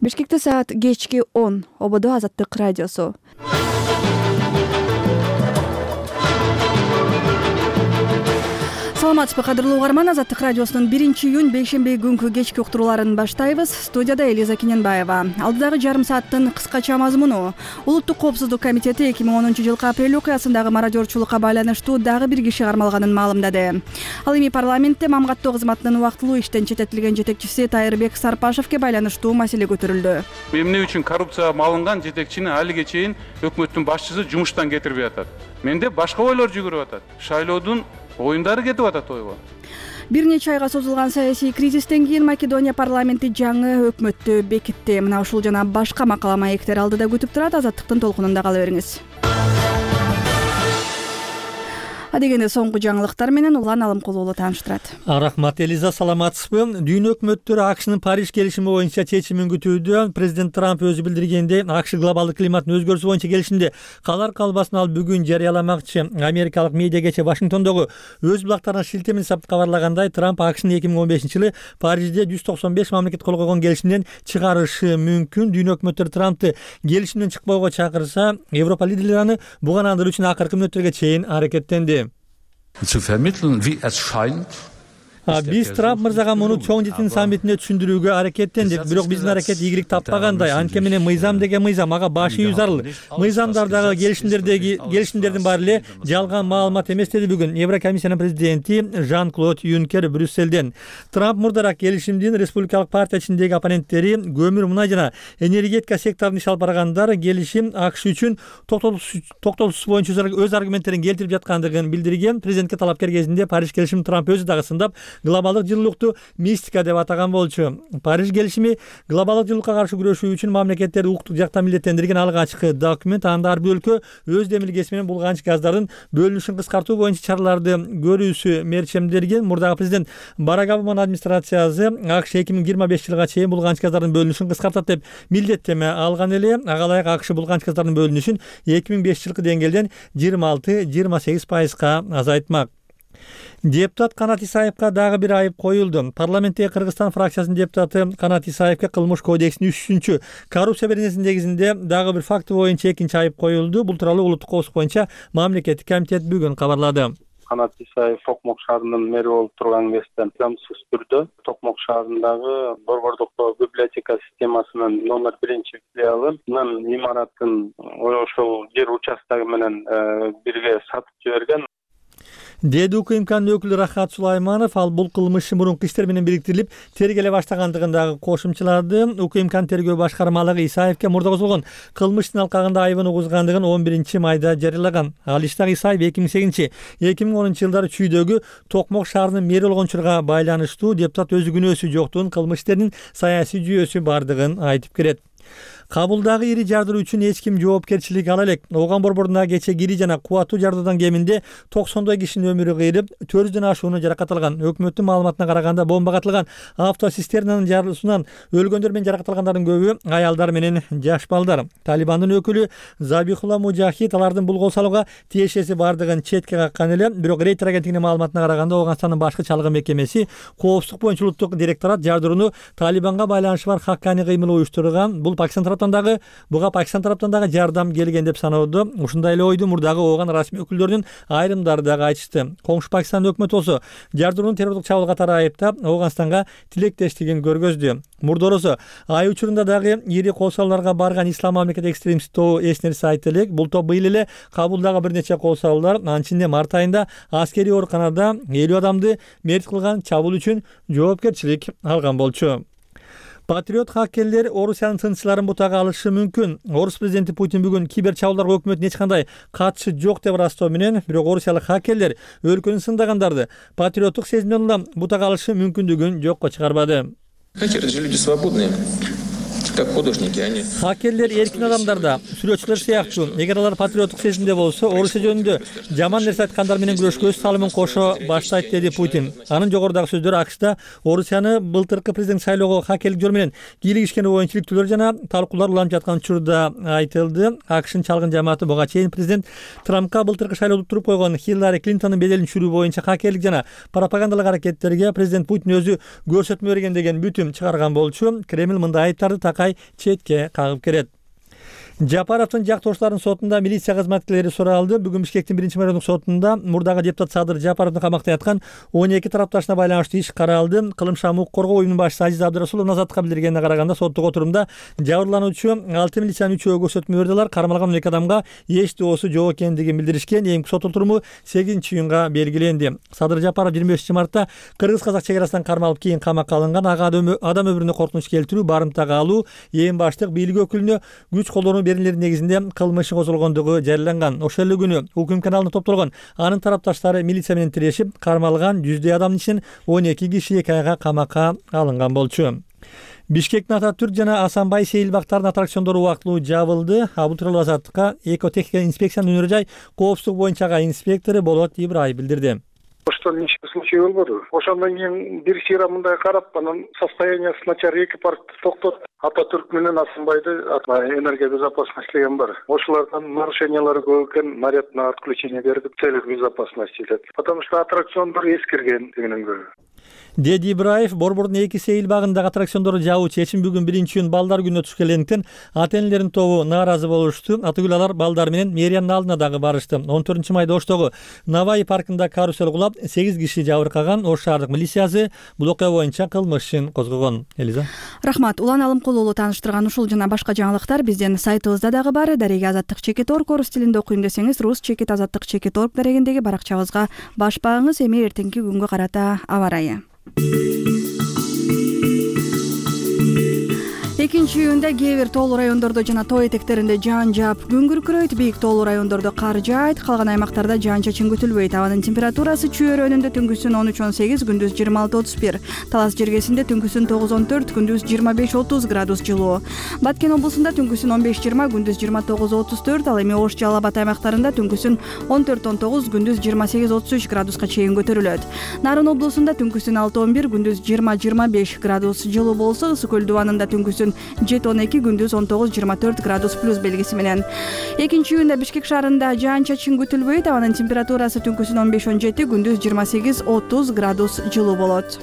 Бишкекте саат кечки 10. ОБД Азаттык радиосу. Саламатсызбы, кадырлуу угарман. Азаттык радиосунун 1-июнь бейшемби күнкү кечки уктурууларын баштайбыз. Студияда Элиза Кененбаева. Алдыдагы жарым сааттын кыскача мазмуну: Улуттук коопсуздук комитети 2010-жылкы апрель окуясындагы мародёрчулукка байланыштуу дагы бир киши кармалганын маалымдады. Ал эми парламентте мамгаттоо кызматынын убактылуу иштен четтетилген жетекчиси Тайырбек Сарпашевке байланыштуу маселе көтөрүлдү. Эмне үчүн коррупцияга малынган жетекчини алиге чейин өкмөттүн башчысы жумуштан кетирбей атат? Менде башка ойлор жүгүрүп атат. Шайлоодун оюндары кетип атат ойго. Бир нече айга созулган саясий кризистен кийин Македония парламенти жаңы өкмөттү бекитти. Мына ушул жана башка макала маектер алдыда күтүп турат. Азаттыктын толкунунда кала бериңиз. Адегенде соңку жаңылыктар менен Улан Алымкулуулу тааныштырат. Рахмат, Элиза, саламатсызбы? Дүйнө өкмөттөрү АКШнын Париж келишими боюнча чечимин күтүүдө. Президент Трамп өзү билдиргендей, АКШ глобалдык климаттын өзгөрүүсү боюнча келишимде калар калбасын ал бүгүн жарыяламакчы. Америкалык медиа кечээ Вашингтондогу өз булактарына шилтеме жасап кабарлагандай, Трамп АКШнын 2015-жылы Парижде 195 мамлекет кол койгон келишимден чыгарышы мүмкүн. Дүйнө өкмөттөрү Трампты келишимден чыкпоого чакырса, Европа лидерлери аны бугандыруу үчүн акыркы мүнөттөргө чейин аракеттенди. Zu vermitteln, wie es scheint. Биз Трамп мырзага муну чоң жыйын саммитинде түшүндүрүүгө аракеттендик, бирок биздин аракет ийгилик таппагандай. Анткени менен мыйзам деген мыйзам, ага баш ийүү зарыл. Мыйзамдардагы келишимдердин баары эле жалган маалымат эмес, деди бүгүн Еврокомиссиянын президенти Жан-Клод Юнкер Брюсселден. Трамп мурдараак келишимдин республикалык партия ичиндеги оппоненттери көмүр, мунай жана энергетика секторунда иш алып баргандар келишим АКШ үчүн токтотуусу боюнча өз аргументтерин келтирип жаткандыгын билдирген. Президентке талапкер кезинде Париж келишимин Трамп өзү дагы сындап, глобалдык жылуулукту мистика деп атаган болчу. Париж келишими глобалдык жылуулукка каршы күрөшүү үчүн мамлекеттерди укуктук жактан милдеттендирген алгачкы документ. Анда ар бир өлкө өз демилгеси менен булганыч газдардын бөлүнүшүн кыскартуу боюнча чараларды көрүүсү мерчемдерген. Мурдагы президент Барак Обаманын администрациясы АКШ 2025-жылга чейин булганыч газдардын бөлүнүшүн кыскартат деп милдеттеме алган эле. Ага ылайык АКШ булганыч газдардын бөлүнүшүн 2005-жылкы деңгээлден 26-28%га азайтмак. Депутат Канат Исаевка дагы бир айып коюлду. Парламенттеги Кыргызстан фракциясынын депутаты Канат Исаевке кылмыш кодексинин 3-чү коррупция беренесинин негизинде дагы бир факты боюнча экинчи айып коюлду. Бул тууралуу Улуттук коопсуздук боюнча мамлекеттик комитет бүгүн кабарлады. Канат Исаев Токмок шаарынын мэри болуп турган кезде заңсыз түрдө Токмок шаарындагы борбордук библиотека системасынын номер 1-филиалынын имаратын ошол жер участогу менен бирге сатып жиберген, деди УКМКнын өкүлү Рахат Сулайманов. Ал бул кылмыш мурунку иштер менен бириктирилип тергеле баштагандыгын дагы кошумчалады. УКМКнын тергөө башкармалыгы Исаевке мурда козголгон кылмыштын алкагында айыбын угузгандыгын 11-майда жарыялаган. Ал иштагы Исаев 2008-2010 жылдары чүйдөгү Токмок шаарынын мэри болгон учурга байланыштуу. Депутат өзү күнөөсү жоктугун, кылмыш иштеринин саясий жүйөсү бардыгын айтып келет. Кабулдагы ири жардыруу үчүн эч ким жоопкерчилик ала элек. Ооган борборунда кече кири жана кубаттуу жардыруудан кеминде 90 кишинин өмүрү кыйрып, 400дөн ашууну жаракат алган. Өкмөттүн маалыматына караганда бомбага атылган автоцистернанын жарылуусунан өлгөндөр менен жаракат алгандардын көбү аялдар менен жаш балдар. Талибандын өкүлү Забихулла Мужахид алардын бул кол салууга тиешеси бардыгын четке каккан эле. Бирок Рейтер агенттигинин маалыматына караганда Ооганстандын башкы чалгы мекемеси коопсуздук боюнча улуттук директорат жардырууну Талибанга байланышы бар хаккани кыймыл уюштурган. Бул буга Пакистан тараптан дагы жардам келген деп саноодо. Ушундай эле ойду мурдагы Ооган расмий өкүлдөрүнүн айрымдары дагы айтышты. Коңшу Пакистандын өкмөтү болсо жардырууну террорлук чабуул катары айыптап, Ооганстанга тилектештигин көргөздү. Мурдоросо ай учурунда дагы ири кол салууларга барган ислам мамлекет экстремисти тобу эсиңерибизде айта элек. Бул топ быйыл эле Кабулдагы бир нече кол салуулар, анын ичинде март айында аскерий ооруканада 50 адамды мерт кылган чабуул үчүн жоопкерчилик алган болчу. Патриот хаккерлер Орусиянын тынччыларын бутага алышы мүмкүн. Орус президенти Путин бүгүн кибер чабуулдарга өкмөттүн эч кандай катышы жок деп ырастоо менен, бирок орусиялык хаккерлер өлкөнү сындагандарды патриоттук сезимден улам бутага алышы мүмкүндүгүн жокко чыгарбады. Хакеры же люди свободные. как художники они. Хакерлер эркин адамдар да, сүрөтчүлөр сыяктуу. Эгер алар патриоттук сезимде болсо, Орусия жөнүндө жаман нерсе айткандар менен күрөшкө өз салымын кошо баштайт, деди Путин. Анын жогорудагы сөздөр АКШда Орусияны былтыркы президент шайлоого хакерлик жол менен кийлигишкени боюнча иликтүүлөр жана талкуулар уланып жаткан учурда айтылды. АКШнын чалгын жамааты буга чейин президент Трампка былтыркы шайлоодо туруп койгон Хиллари Клинтондун беделин түшүрүү боюнча хакерлик жана пропагандалык аракеттерге президент Путин өзү көрсөтмө берген деген бүтүм чыгарган болчу. Кремль мындай айыптарды такай албай четке кагып келет. Жапаровдун жактоошторунун сотунда милиция кызматкерлери суралды. Бүгүн Бишкектин 1-райондук сотунда мурдагы депутат Садыр Жапаровдун камакта яткан 12 тарапташына байланыштуу иш каралды. Кылымча укук коргоо уюмунун башчысы Азиз Абдырасулов азаттыкка билдиргенине караганда соттук отурумда жабырлануучу 6 милициянын 3-өө көрсөтмө берди. Алар кармалган 12 адамга эч доосу жок экендигин билдиришкен. Эми сот отуруму 8-июнга белгиленди. Садыр Жапаров 25-мартта кыргыз-казак чек арасынан кармалып кийин камакка алынган. Ага адам өмүрүнө коркунуч келтирүү, барымтага алуу, эң баштык бийлик өкүлүнө күч колдонуу беренелери негизинде кылмышы козголгондугу жарыяланган. Ошол эле күнү укм каналына топтолгон анын тарапташтары милиция менен тирешип, кармалган 100 адамдын ичинен 12 киши 2 айга камакка алынган болчу. Бишкектин Ататүрк жана Асанбай сейилбактардын аттракциондору убактылуу жабылды. Бул тууралуу азаттыкка экотехника инспекциянын өнөр жай коопсуздук боюнча инспектору Болот Ибраев билдирди. Ошто нече случай болбоду. Ошондон кийин бир сыйра мындай карап, анан состояниясы начар 2 паркты токтотуп, Ататүрк менен Асанбайды энергия безопасности деген бар. Ошолордун нарушениялары көп экен, наряд на отключение бердик, целых безопасности деп. Потому что аттракциондор эскирген дегенен көрө. Деди Ибраев Борбордун 2 сейил багындагы аттракциондорду жабуу чечим бүгүн 1-июнь балдар күнүнө түшкөнлүктөн ата энелердин тобу нааразы болушту. Атыгүл алар балдар менен мэриянын алдына дагы барышты. 14-майда Оштогу Навай паркында карусел кулап 8 киши жабыркаган. Ош шаардык милициясы бул окуя боюнча кылмыш ишин козгогон. Элиза. Рахмат. Улан Алымкулуулу тааныштырган ушул жана башка жаңылыктар биздин сайтыбызда дагы бар. Дареги Азаттык Чекит.org орус тилинде окуйм десеңиз, рус Чекит Азаттык Чекит.org дарегиндеги баракчабызга баш багыңыз. Эми эртеңки күнгө карата аба ырайы. 2-июнда кээ бир тоолуу райондордо жана тоо этектеринде жаан жаап күн күркүрөйт. Бийик тоолуу райондордо кар жаайт, калган аймактарда жаан-чачын күтүлбөйт. Абанын температурасы Чүй өрөөнүндө түнкүсүн 13-18, күндүз 26-31. Талас жергесинде түнкүсүн 9-14, күндүз 25-30 градус жылуу. Баткен облусунда түнкүсүн 15-20, күндүз 29-34. Ал эми Ош Жалал Абад аймактарында түнкүсүн 14-19, күндүз 28-33 градуска чейин көтөрүлөт. Нарын облусунда түнкүсүн 6-11, күндүз 20-25 градус жылуу болсо, Ысык көл дубанында түнкүсүн 7-12, күндүз 19-24 градус плюс белгиси менен. 2-июнда Бишкек шаарында жаан-чачын күтүлбөйт. Абанын температурасы түнкүсүн 15-17, күндүз 28-30 градус жылуу болот.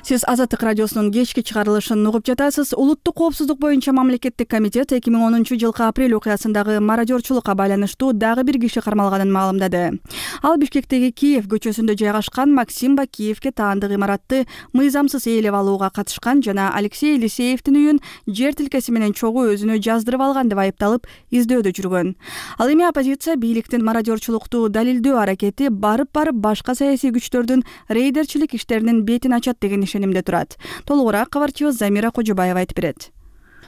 Сиз Азаттык радиосунун кечки чыгарылышын угуп жатасыз. Улуттук коопсуздук боюнча мамлекеттик комитет 2010-жылкы апрель окуясындагы мародёрчулукка байланыштуу дагы бир киши кармалганын маалымдады. Ал Бишкектеги Киев көчөсүндө жайгашкан Максим Бакиевке таандык имаратты мыйзамсыз ээлеп алууга катышкан жана Алексей Елисеевдин үйүн жер тилкеси менен чогуу өзүнө жаздырып алган деп айыпталып издөөдө жүргөн. Ал эми оппозиция бийликтин мародёрчулукту далилдөө аракети барып башка саясий күчтөрдүн рейдерчилик иштеринин бетин ачат деген ишенимде турат. Толугураак кабарчыбыз Замира Кожобаева айтып берет.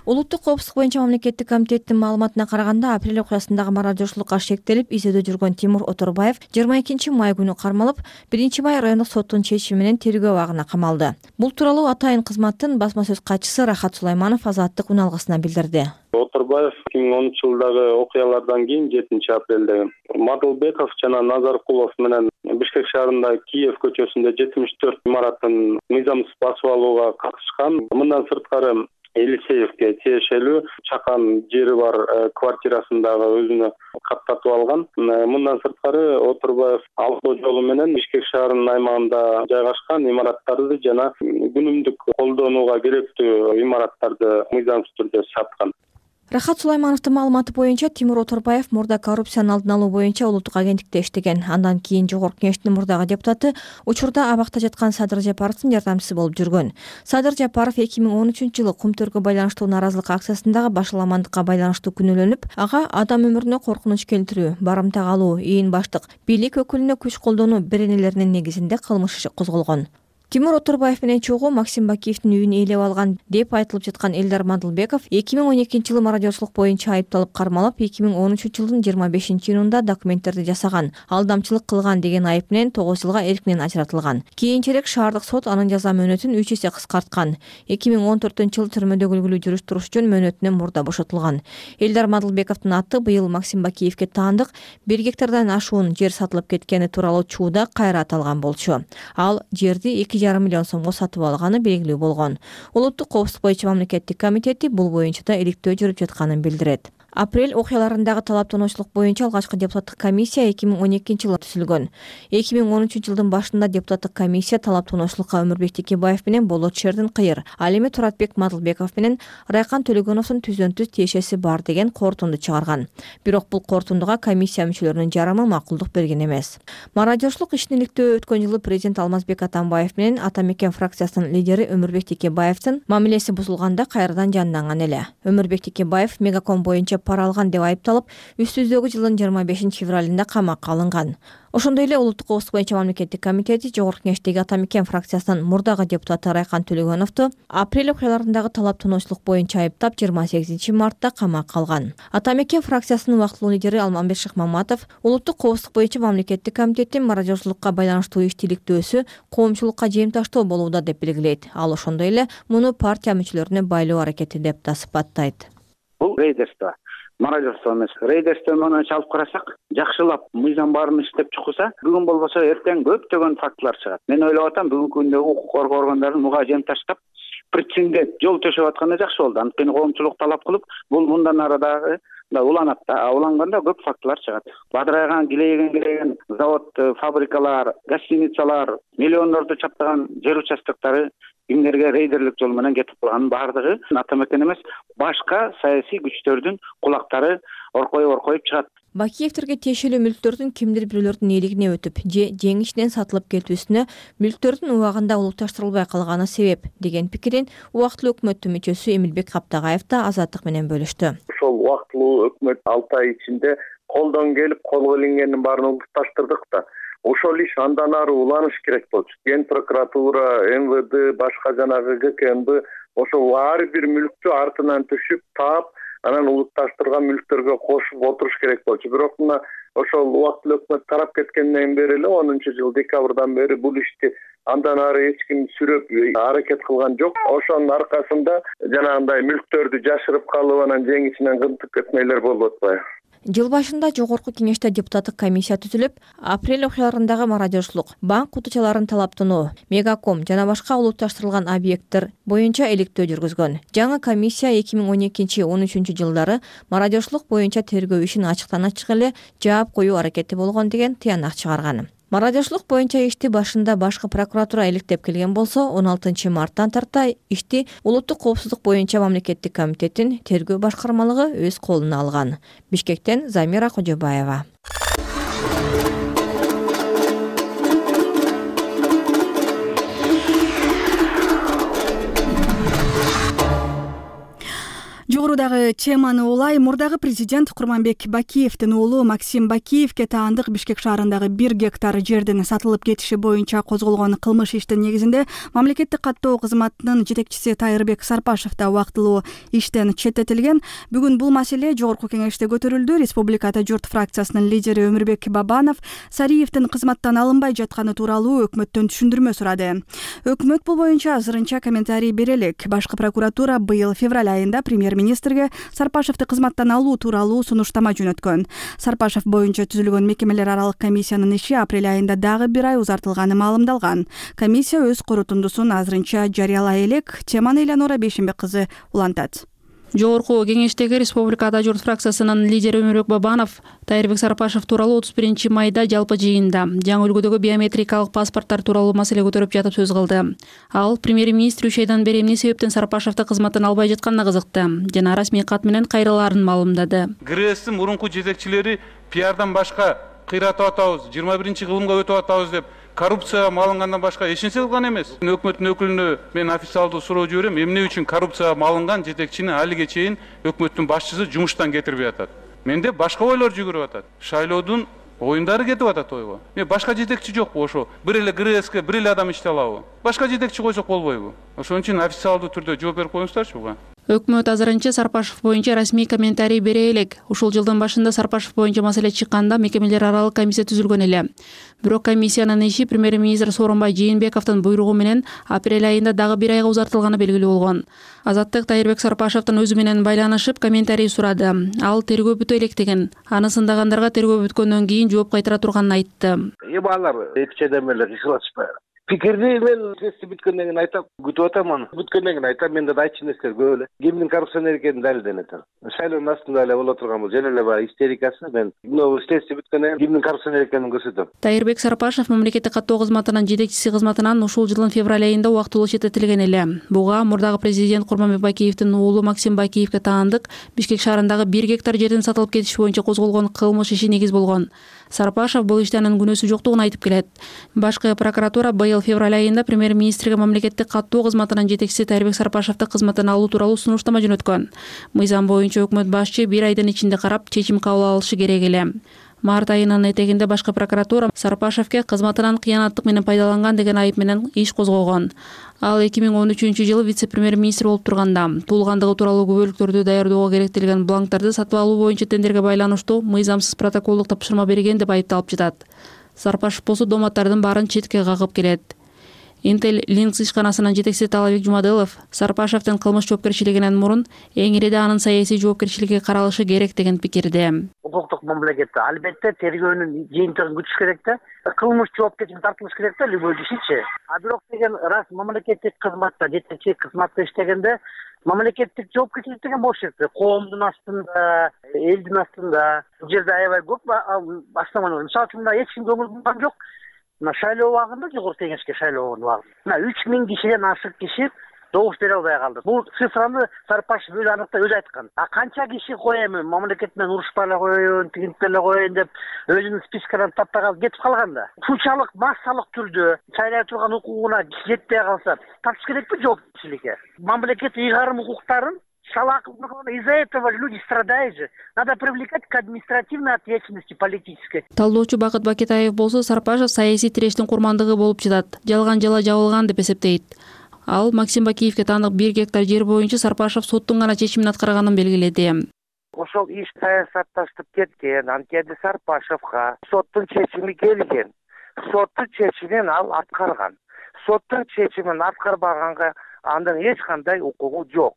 Улуттук коопсуздук боюнча мамлекеттик комитеттин маалыматына караганда, апрель окуясындагы мародёрчулукка шектелип издөөдө жүргөн Тимур Оторбаев 22 май күнү кармалып, 1-май райондук соттун чечими менен тергөө абагына камалды. Бул тууралуу Атайын кызматтын басма сөз катчысы Рахат Сулайманов Азаттык уналгысына билдирди. Оторбаев 2010-жылдагы окуялардан кийин 7-апрелде Мадылбеков жана Назаркулов менен Бишкек шаарында Киев көчөсүндө 74 имараттын мыйзамсыз басып алууга катышкан. Мындан сырткары Елисеевке тиешелүү чакан жери бар квартирасындагы өзүнө каттатып алган. Мындан сырткары Оторбаев алдоо жолу менен Бишкек шаарынын аймагында жайгашкан имараттарды жана күнүмдүк колдонууга керектүү имараттарды мыйзамсыз түрдө саткан. Рахат Сулаймановдун маалыматы боюнча Тимур Оторбаев мурда коррупциянын алдын алуу боюнча улуттук агенттикте иштеген. Андан кийин Жогорку Кеңештин мурдагы депутаты, учурда абакта жаткан Садыр Жапаровдун жардамчысы болуп жүргөн. Садыр Жапаров 2013-жылы кумтөргө байланыштуу нааразылык акциясындагы башаламандыкка байланыштуу күнөөлөнүп, ага адам өмүрүнө коркунуч келтирүү, барымтак алуу, ээн баштык бийлик өкүлүнө күч колдонуу беренелеринин негизинде кылмыш иши козголгон. Тимур Оторбаев менен чогуу Максим Бакиевдин үйүн ээлеп алган деп айтылып жаткан Элдар Мадылбеков 2012-жылы мародёрчулук боюнча айыпталып кармалып, 2013-жылдын 25-июнунда документтерди жасаган, алдамчылык кылган деген айып менен 9 жылга эркинен ажыратылган. Кийинчерээк шаардык сот анын жаза мөөнөтүн 3 эсе кыскарткан. 2014-жылы түрмөдө үлгүлүү жүрүш туруш үчүн мөөнөтүнөн мурда бошотулган. Элдар Мадылбековдун аты быйыл Максим Бакиевке таандык 1 гектардан ашуун жер сатылып кеткени тууралуу чууда кайра аталган болчу. Ал жерди 2,5 миллион сомго сатып алганы белгилүү болгон. Улуттук коопсуздук боюнча мамлекеттик комитети бул боюнча да иликтөө жүрүп жатканын билдирет. Апрель окуяларындагы талаптануучулук боюнча алгачкы депутаттык комиссия 2012-жылы түзүлгөн. 2013-жылдын башында депутаттык комиссия талаптануучулукка Өмүрбек Текебаев менен Болот Шердин-Кыйыр, ал эми Туратбек Мадылбеков менен Райкан Төлөгөновдун түздөн-түз тиешеси бар деген корутунду чыгарган. Бирок бул корутундуга комиссия мүчөлөрүнүн жарымы макулдук берген эмес. Мародёрчулук ишин иликтөө өткөн жылы президент Алмазбек Атамбаев менен Ата Мекен фракциясынын лидери Өмүрбек Текебаевдин мамилеси бузулганда кайрадан жанданган эле. Өмүрбек Текебаев Мегаком боюнча пара алган деп айыпталып, үстүбүздөгү жылдын 25-февралында камакка алынган. Ошондой эле Улуттук коопсуздук боюнча мамлекеттик комитети Жогорку Кеңештеги Ата Мекен фракциясынын мурдагы депутаты Райкан Төлөгөновду апрель окуяларындагы талаптануучулук боюнча айыптап 28-мартта камакка алган. Ата Мекен фракциясынын убактылуу лидери Алмамбет Шыкмаматов Улуттук коопсуздук боюнча мамлекеттик комитеттин мародёрчулукка байланыштуу иштиликтөөсү коомчулукка жемташтоо болууда деп белгилейт. Ал ошондой эле муну партия мүчөлөрүнө байлоо аракети деп да сыпаттайт. Бул рейдерство, мародёрство эмес. Рейдерство менен чалып карасак, жакшылап мыйзам баарын иштеп чыкса, бүгүн болбосо эртең көптөгөн фактылар чыгат. Мен ойлоп атам, бүгүнкү күндө укук коргоо органдарын муга жем таштап, причинге жол төшөп атканы жакшы болду. Анткени коомчулук талап кылып, бул мындан ары дагы уланат да. Уланганда көп фактылар чыгат. Бадырайган, килейген завод, фабрикалар, гостиницалар, миллиондорду чаптаган жер участоктары кимдерге рейдерлик жол менен кетип калганын баардыгы Ата Мекен эмес, башка саясий күчтөрдүн кулактары оркоюп чыгат. Бакиевтерге тиешелүү мүлктөрдүн кимдир бирөөлөрдүн ээлигине өтүп, же жеңишинен сатылып кетүүсүнө мүлктөрдүн убагында улукташтырылбай калганы себеп деген пикирин убактылуу өкмөттүн мүчөсү Эмилбек Каптагаев да Азаттык менен бөлүштү. Ошол убактылуу өкмөт 6 ай ичинде колдон келип колго илингендин баарын улукташтырдык да. Ошол иш андан ары уланыш керек болчу. Ген прокуратура, МВД, башка жанагы ГКМБ ошол ар бир мүлктү артынан түшүп, таап, анан улукташтырган мүлктөргө кошуп отуруш керек болчу. Бирок мына ошол убактылуу өкмөт тарап кеткенден бери эле 10-жыл декабрдан бери бул ишти андан ары эч ким сүрөп аракет кылган жок. Ошонун аркасында жанагындай мүлктөрдү жашырып калып, анан жеңишинен кынтып кетмейлер болуп атпайбы? Жыл башында Жогорку Кеңеште депутаттык комиссия түзүлүп, апрель окуяларындагы мародёрчулук, банк кутучаларын талаптануу, Мегаком жана башка улутташтырылган объекттер боюнча иликтөө жүргүзгөн. Жаңы комиссия 2012-13 жылдары мародёрчулук боюнча тергөө ишин ачыктан-ачык эле жаап коюу аракети болгон деген тыянак чыгарган. Мародёрчулук боюнча ишти башында башкы прокуратура иликтеп келген болсо, 16-марттан тарта ишти Улуттук коопсуздук боюнча мамлекеттик комитеттин тергөө башкармалыгы өз колуна алган. Бишкектен Замира Кожобаева. Жогорудагы теманы улай, мурдагы президент Курманбек Бакиевдин уулу Максим Бакиевге таандык Бишкек шаарындагы 1 гектар жердин сатылып кетиши боюнча козголгон кылмыш иштин негизинде мамлекеттик каттоо кызматынын жетекчиси Тайырбек Сарпашев да убактылуу иштен четтетилген. Бүгүн бул маселе Жогорку Кеңеште көтөрүлдү. Республикада журт фракциясынын лидери Өмүрбек Бабанов Сариевдин кызматтан алынбай жатканы тууралуу өкмөттөн түшүндүрмө сурады. Өкмөт бул боюнча азырынча комментарий бере элек. Башкы прокуратура быйыл февраль айында премьер-министрге Сарпашевди кызматтан алуу тууралуу сунуштама жөнөткөн. Сарпашев боюнча түзүлгөн мекемелер аралык комиссиянын иши апрель айында дагы 1 ай узартылганы маалымдалган. Комиссия өз корутундусун азырынча жарыялай элек. Теманы Элеонора Бейшенбек кызы улантат. Жогорку Кеңештеги Республикада журт фракциясынын лидери Өмүрбек Бабанов Тайырбек Сарпашев тууралуу 31 майда жалпы жыйында жаңы үлгүдөгү биометрикалык паспорттор тууралуу маселе көтөрүп жатып сөз кылды. Ал премьер-министр 3 айдан бери эмне себептен Сарпашевди кызматтан албай жатканына кызыкты жана расмий кат менен кайрылаарын маалымдады. ГРСтин мурунку жетекчилери пиардан башка кыйратып атабыз, 21-кылымга өтүп атабыз деп коррупцияга малынгандан башка эч нерсе кылган эмес. Өкмөттүн өкүлүнө мен официалдуу суроо жиберем, эмне үчүн коррупцияга малынган жетекчини алиге чейин өкмөттүн башчысы жумуштан кетирбей атат. Менде башка ойлор жүгүрүп атат. Шайлоодун оюндары кетип атат ойго. Башка жетекчи жокпу ошо? Бир эле ГРСке бир эле адам иштей алабы? Башка жетекчи койсок болбойбу? Ошон үчүн официалдуу түрдө жооп берип коюңуздарчы буга. Өкмөт азырынча Сарпашев боюнча расмий комментарий бере элек. Ушул жылдын башында Сарпашев боюнча маселе чыкканда мекемелер аралык комиссия түзүлгөн эле. Бирок комиссиянын иши премьер-министр Сооронбай Жээнбековдун буйругу менен апрель айында дагы 1 айга узартылганы белгилүү болгон. Азаттык Тайырбек Сарпашевдин өзү менен байланышып комментарий сурады. Ал тергөө бүтө элек деген. Аны сындагандарга тергөө бүткөндөн кийин жооп кайтара турганын айтты. Алар эч жайдан эле кыйшылашпайбы. Пикирди мен тести бүткөндөн кийин айтам, күтүп атам аны. Бүткөндөн кийин айтам, менде да айтчу нерселер көп эле. Кимдин коррупционер экени далилденет. Шайлоонун астында эле боло турган бул жөн эле баягы истерикасы. Мен мына тести бүткөндөн кийин кимдин коррупционер экенин көрсөтөм. Тайырбек Сарпашев мамлекеттик каттоо кызматынын жетекчиси кызматынан ушул жылдын февраль айында убактылуу четтетилген эле. Буга мурдагы президент Курманбек Бакиевдин уулу Максим Бакиевге таандык Бишкек шаарындагы 1 гектар жердин сатылып кетиши боюнча козголгон кылмыш иши негиз болгон. Сарпашев бул иште анын күнөөсү жоктугун айтып келет. Башкы прокуратура быйыл февраль айында премьер-министрге мамлекеттик каттоо кызматынын жетекчиси Тайырбек Сарпашевди кызматтан алуу тууралуу сунуштама жөнөткөн. Мыйзам боюнча өкмөт башчы 1 айдын ичинде карап чечим кабыл алышы керек эле. Март айынын этегинде башкы прокуратура Сарпашевге кызматынан кыянаттык менен пайдаланган деген айып менен иш козгогон. Ал 2013-жылы вице-премьер-министр болуп турганда туулгандыгы тууралуу күбөлүктөрдү даярдоого керектелген бланктарды сатып алуу боюнча тендерге байланыштуу мыйзамсыз протоколдук тапшырма берген деп айыпталып жатат. Сарпашев болсо доматтардын баарын четке кагып келет. Intel Links ишканасынын жетекчиси Талабек Жумадылов Сарпашевдин кылмыш жоопкерчилигинен мурун эң ириде анын саясий жоопкерчилиги каралышы керек деген пикирде. Укуктук мамлекетте албетте тергөөнүн жыйынтыгын күтүш керек да. Кылмыш жоопкерчиликке тартылыш керек да любой ишчи. А бирок деген раз мамлекеттик кызматта жетекчи кызматта иштегенде мамлекеттик жоопкерчилик деген болуш керек. Коомдун астында, элдин астында. Бул жерде аябай көп баштамалар. Мисалы үчүн эч ким көңүл бурган жок. Мына шайлоо убагында жогорку кеңешке шайлоо убагында. Мына 3000 кишиден ашык киши добуш бере албай калды. Бул цифраны Сарпашев өзү аныкта өзү айткан. А канча киши коем, мамлекет менен урушпай эле коеюн, тигинтип эле коеюн деп өзүнүн спискаларын таппай калып кетип калганда. Ушунчалык массалык түрдө шайлай турган укугуна жетпей калса, тартыш керекпи жоопкерчиликке? Мамлекет ыйгарым укуктарын из-за этого люди страдают же. Надо привлекать к административной ответственности политической. Талдоочу Бакыт Бакетаев болсо Сарпашев саясий тирештин курмандыгы болуп жатат. Жалган жала жабылган деп эсептейт. Ал Максим Бакиевге таандык 1 гектар жер боюнча Сарпашев соттун гана чечимин аткарганын белгиледи. Ошол иш саясатташтып кеткен, анткени Сарпашевга соттун чечими келген. Соттун чечимин ал аткарган. Соттун чечимин аткарбаганга андан эч кандай укугу жок.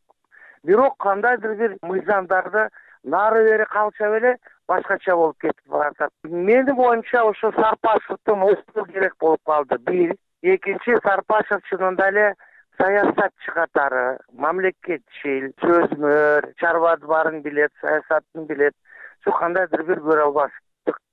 Бирок кандайдыр бир мыйзамдарды нары бери калча эле башкача болуп кетип баратат. Менин оюмча ошо Сарпашевдин укугу керек болуп калды. Бир, экинчи Сарпашев чынында эле саясатчы катары, мамлекетчил, сөзмөр, чарбады баарын билет, саясатын билет. Шу кандайдыр бир көрө албаш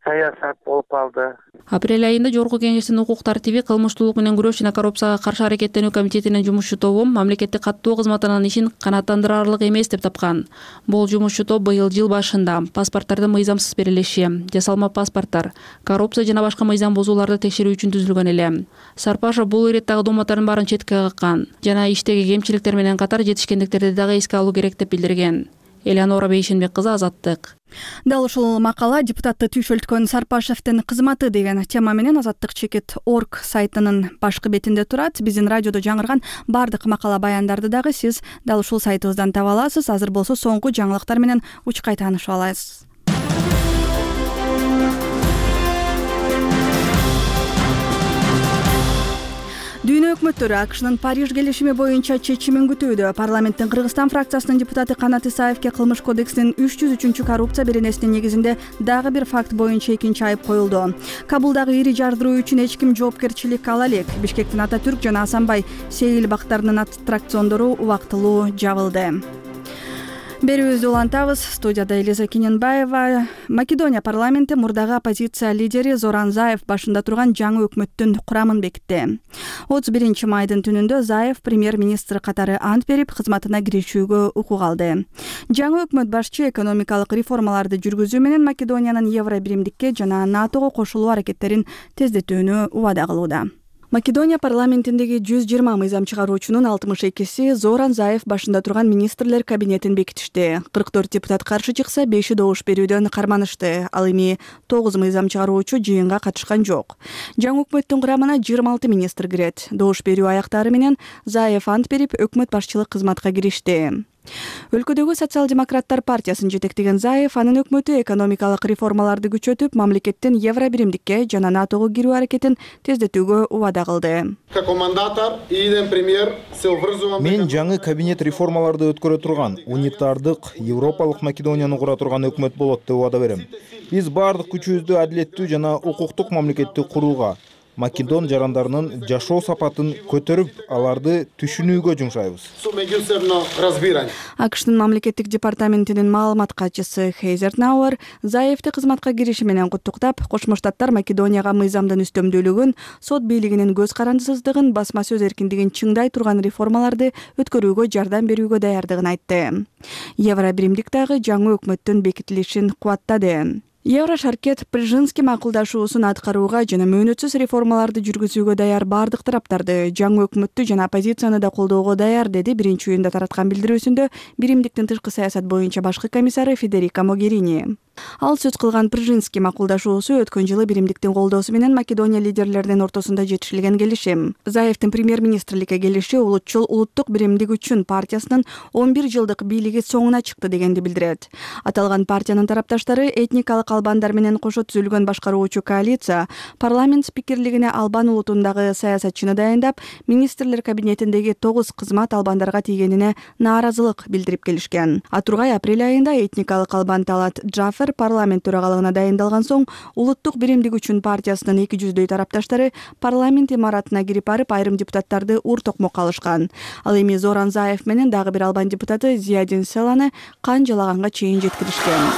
саясат болуп калды. Апрель айында Жогорку кеңештин укук тартиби, кылмыштуулук менен күрөш жана коррупцияга каршы аракеттенүү комитетинин жумушчу тобу мамлекеттик каттоо кызматынын ишин канааттандырарлык эмес деп тапкан. Бул жумушчу топ быйыл жыл башында паспорттардын мыйзамсыз берилиши, жасалма паспорттар, коррупция жана башка мыйзам бузууларды текшерүү үчүн түзүлгөн эле. Сарпашев бул иреттагы доматтардын баарын четке каккан жана иштеги кемчиликтер менен катар жетишкендиктерди дагы эске алуу керек деп билдирген. Элеонора Бейшенбек кызы, Азаттык. Дал ушул макала депутатты түйшөлткөн Сарпашевдин кызматы деген тема менен Азаттык чекит.org сайтынын башкы бетинде турат. Биздин радиодо жаңырган бардык макала баяндарды дагы сиз дал ушул сайтыбыздан таба аласыз. Азыр болсо соңку жаңылыктар менен учкай таанышып алабыз. Дүйнө өкмөттөрү АКШнын Париж келишими боюнча чечимин күтүүдө. Парламенттин Кыргызстан фракциясынын депутаты Канат Исаевке Кылмыш кодексинин 303 коррупция беренесинин негизинде дагы бир факт боюнча экинчи айып коюлду. Кабулдагы ири жардыруу үчүн эч ким жоопкерчилик ала элек. Бишкектин Ататүрк жана Асанбай Сейил бактарынын аттракциондору убактылуу жабылды. Берүүбүздү улантабыз. Студияда Элиза Кененбаева. Македония парламенти мурдагы оппозиция лидери Зоран Заев башында турган жаңы өкмөттүн курамын бекитти. 31 майдын түнүндө Заев премьер-министр катары ант берип, кызматына киришүүгө укук алды. Жаңы өкмөт башчы экономикалык реформаларды жүргүзүү менен Македониянын евро биримдикке жана НАТОго кошулуу аракеттерин тездетүүнү убада кылууда. Македония парламентиндеги 120 мыйзам чыгаруучунун 62си Зоран Заев башында турган министрлер кабинетин бекитишти. 44 депутат каршы чыкса, 5 добуш берүүдөн карманышты. Ал эми 9 мыйзам чыгаруучу жыйынга катышкан жок. Жаңы өкмөттүн курамына 26 министр кирет. Добуш берүү аяктары менен Заев ант берип, өкмөт башчылык кызматка киришти. Өлкөдөгү социал-демократтар партиясын жетектеген Заев анын өкмөтү экономикалык реформаларды күчөтүп, мамлекеттин евро биримдикке жана НАТОго кирүү аракетин тездетүүгө убада кылды. Мен жаңы кабинет реформаларды өткөрө турган, унитардык, европалык Македонияны кура турган өкмөт болот деп убада берем. Биз баардык күчүбүздү адилеттүү жана укуктук мамлекетти курууга, македон жарандарынын жашоо сапатын көтөрүп, аларды түшүнүүгө жумшайбыз. АКШтын мамлекеттик департаментинин маалымат катчысы Хейзер Науэр Заевди кызматка кириши менен куттуктап, Кошмо Штаттар Македонияга мыйзамдын үстөмдүүлүгүн, сот бийлигинин көз карандысыздыгын, басма сөз эркиндигин чыңдай турган реформаларды өткөрүүгө жардам берүүгө даярдыгын айтты. Евро биримдик дагы жаңы өкмөттүн бекитилишин кубаттады. Еврошаркет Прижинский макулдашуусун аткарууга жана мөөнөтсүз реформаларды жүргүзүүгө даяр бардык тараптарды, жаңы өкмөттү жана оппозицияны да колдоого даяр, деди биринчи июнда тараткан билдирүүсүндө биримдиктин тышкы саясат боюнча башкы комиссары Федерика Могерини. Ал сөз кылган Прижинский макулдашуусу өткөн жылы биримдиктин колдоосу менен Македония лидерлеринин ортосунда жетишилген келишим. Заевдин премьер-министрликке келиши улутчул улуттук биримдик үчүн партиясынын 11 жылдык бийлиги соңуна чыкты дегенди билдирет. Аталган партиянын тарапташтары этникалык албандар менен кошо түзүлгөн башкаруучу коалиция парламент спикерлигине албан улутундагы саясатчыны дайындап, министрлер кабинетиндеги 9 кызмат албандарга тийгенине нааразылык билдирип келишкен. Атургай апрель айында этникалык албан Талат Джафер парламент төрагалыгына дайындалган соң улуттук биримдик үчүн партиясынын 200дөй тарапташтары парламент имаратына кирип барып, айрым депутаттарды ур токмокко алышкан. Ал эми Зоран Заев менен дагы бир албан депутаты Зиядин Селаны кан жалаганга чейин жеткиришкен.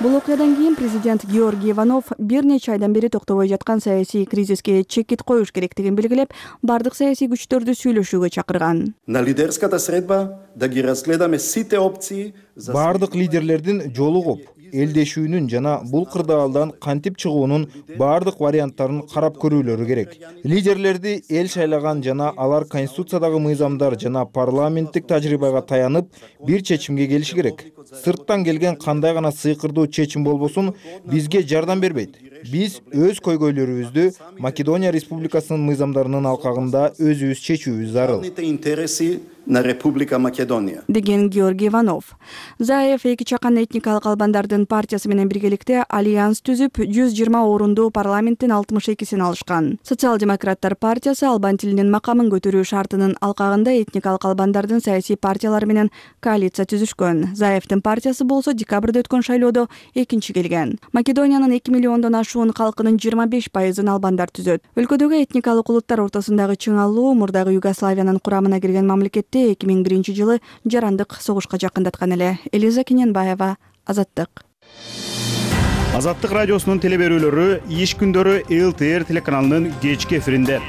Бул окуядан кийин президент Георгий Иванов бир нече айдан бери токтобой жаткан саясий кризиске чекит коюш керектигин белгилеп, бардык саясий күчтөрдү сүйлөшүүгө чакырган. На лидерската средба да ги разгледаме сите опции. Бардык лидерлердин жолугуп, элдешүүнүн жана бул кырдаалдан кантип чыгуунун бардык варианттарын карап көрүүлөрү керек. Лидерлерди эл шайлаган жана алар конституциядагы мыйзамдар жана парламенттик тажрыйбага таянып бир чечимге келиши керек. Сырттан келген кандай гана сыйкырдуу чечим болбосун бизге жардам бербейт. Биз өз көйгөйлөрүбүздү Македония Республикасынын мыйзамдарынын алкагында өзүбүз чечүүбүз зарыл. На Република Македония. Деген Георгий Иванов. Заев эки чакан этникалык албандардын партиясы менен биргеликте альянс түзүп, 120 орунду парламенттин 62-син алышкан. Социал-демократтар партиясы албан тилинин макамын көтөрүү шартынын алкагында этникалык албандардын саясий партиялары менен коалиция түзүшкөн. Заевдин партиясы болсо декабрда өткөн шайлоодо экинчи келген. Македониянын 2 миллиондон ашуун калкынын 25%-ын албандар түзөт. Өлкөдөгү этникалык улуттар ортосундагы чыңалуу мурдагы Югославиянын курамына кирген мамлекетти 2001 жылы жарандык согушка жакындаткан эле. Элиза Кененбаева, Азаттык. Азаттык радиосунун телеберүүлөрү иш күндөрү ЛТР телеканалынын кечки эфиринде.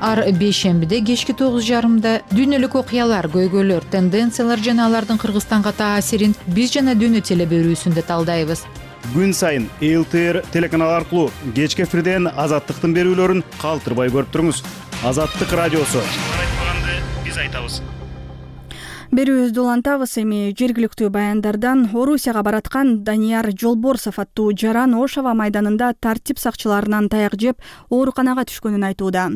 Ар бейшембиде кечки 9:30 дүйнөлүк окуялар, көйгөйлөр, тенденциялар жана алардын Кыргызстанга таасирин биз жана дүйнө телеберүүсүндө талдайбыз. Күн сайын ЛТР телеканалы аркылуу кечки эфирден Азаттыктын берүүлөрүн калтырбай көрүп туруңуз. Азаттык радиосу. Берүүбүздү улантабыз. Эми жергиликтүү баяндардан Орусияга бараткан Данияр Жолборсов аттуу жаран Ошава майданында тартип сакчыларынан таяк жеп ооруканага түшкөнүн айтууда.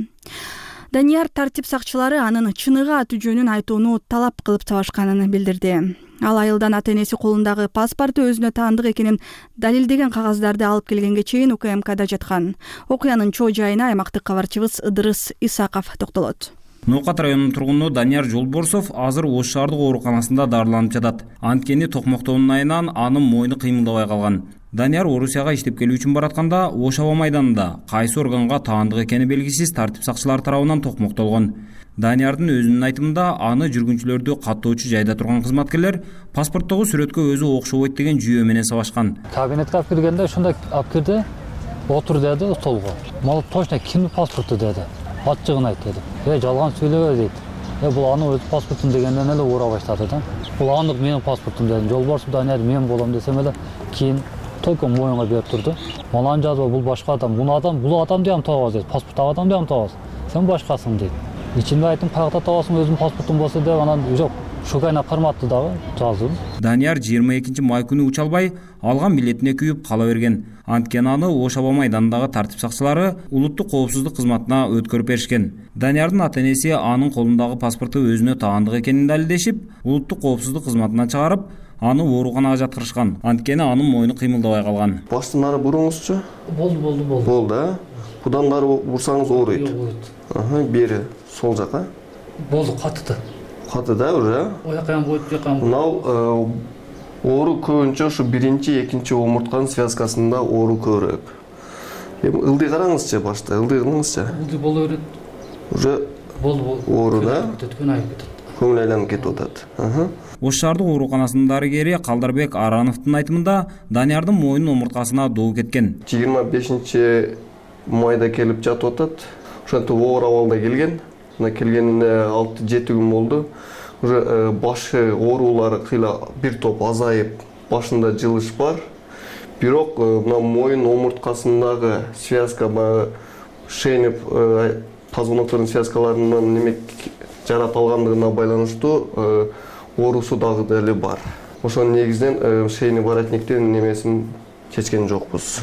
Данияр тартип сакчылары анын чыныгы аты жөнүн айтууну талап кылып табашканын билдирди. Ал айылдан ата-энеси колундагы паспорту өзүнө таандык экенин далилдеген кагаздарды алып келгенге чейин УКМКда жаткан. Окуянын чоо жайына аймактык кабарчыбыз Ыдырыс Исаков токтолот. Ноокат районунун тургуну Данияр Жолборсов азыр Ош шаардык ооруканасында дарыланып жатат. Анткени токмоктоонун айынан анын мойну кыймылдабай калган. Данияр Орусияга иштеп келүү үчүн баратканда Ошава майданында кайсы органга таандык экени белгисиз тартип сакчылары тарабынан токмоктолгон. Даниярдын өзүнүн айтымында аны жүргүнчүлөрдү каттоочу жайда турган кызматкерлер паспорттогу сүрөткө өзү окшобойт деген жүйө менен сабашкан. Кабинетке алып киргенде ушундай алып кирди, отур деди столго. Мал точно кимдин паспорту деди. Ачыгын айт деди. Жалган сүйлөбө дейт. Бул анын өз паспортум дегенден эле уура баштады да. Бул анын менин паспортум дедим. Жолборсов Данияр мен болом десем эле кийин только моюнга берип турду. Малан жазба бул башка адам. Бул адам деп табабыз дейт. Паспорттагы адам деп табабыз. Сен башкасың дейт. Ичинде айттым, кайда табасың өзүм паспортум болсо деп анан жок. Шукайна карматты дагы жаздым. Данияр 22 май күнү уча албай, алган билетине күйүп кала берген. Анткени аны Ошава майданындагы тартип сакчылары улуттук коопсуздук кызматына өткөрүп беришкен. Даниярдын ата-энеси анын колундагы паспорту өзүнө таандык экенин далилдешип, улуттук коопсуздук кызматынан чыгарып, аны ооруканага жаткырышкан. Анткени анын мойну кыймылдабай калган. Баштан ары буруңузчу? Болду. Болду, а? Будан ары бурсаңыз ооруйт. Бери сол жака. Болду, катты. Каты да уже. Оякан будет, Мынау Оору көбүнчө ушу биринчи, экинчи омуртканын связкасында оору көбүрөөк. Эми ылдый караңызчы башта, ылдый кылыңызчы. Ылдый боло берет. Уже оору да? Көңүл айланып кетип атат. Ош шаардык ооруканасынын дарыгери Калдарбек Арановдун айтымында Даниярдын мойнун омурткасына доо кеткен. 25 майда келип жатып атат. Ошентип оор абалда келген. Мына келгенине 6-7 күн болду. Уже башы оорулары кыйла бир топ азайып, башында жылыш бар. Бирок мына мойын омурткасындагы связка, шейный позвоноктордун связкаларынын неме жарат алгандыгына байланыштуу оорусу дагы деле бар. Ошонун негизинен шейный воротниктин немесин чечкен жокпуз.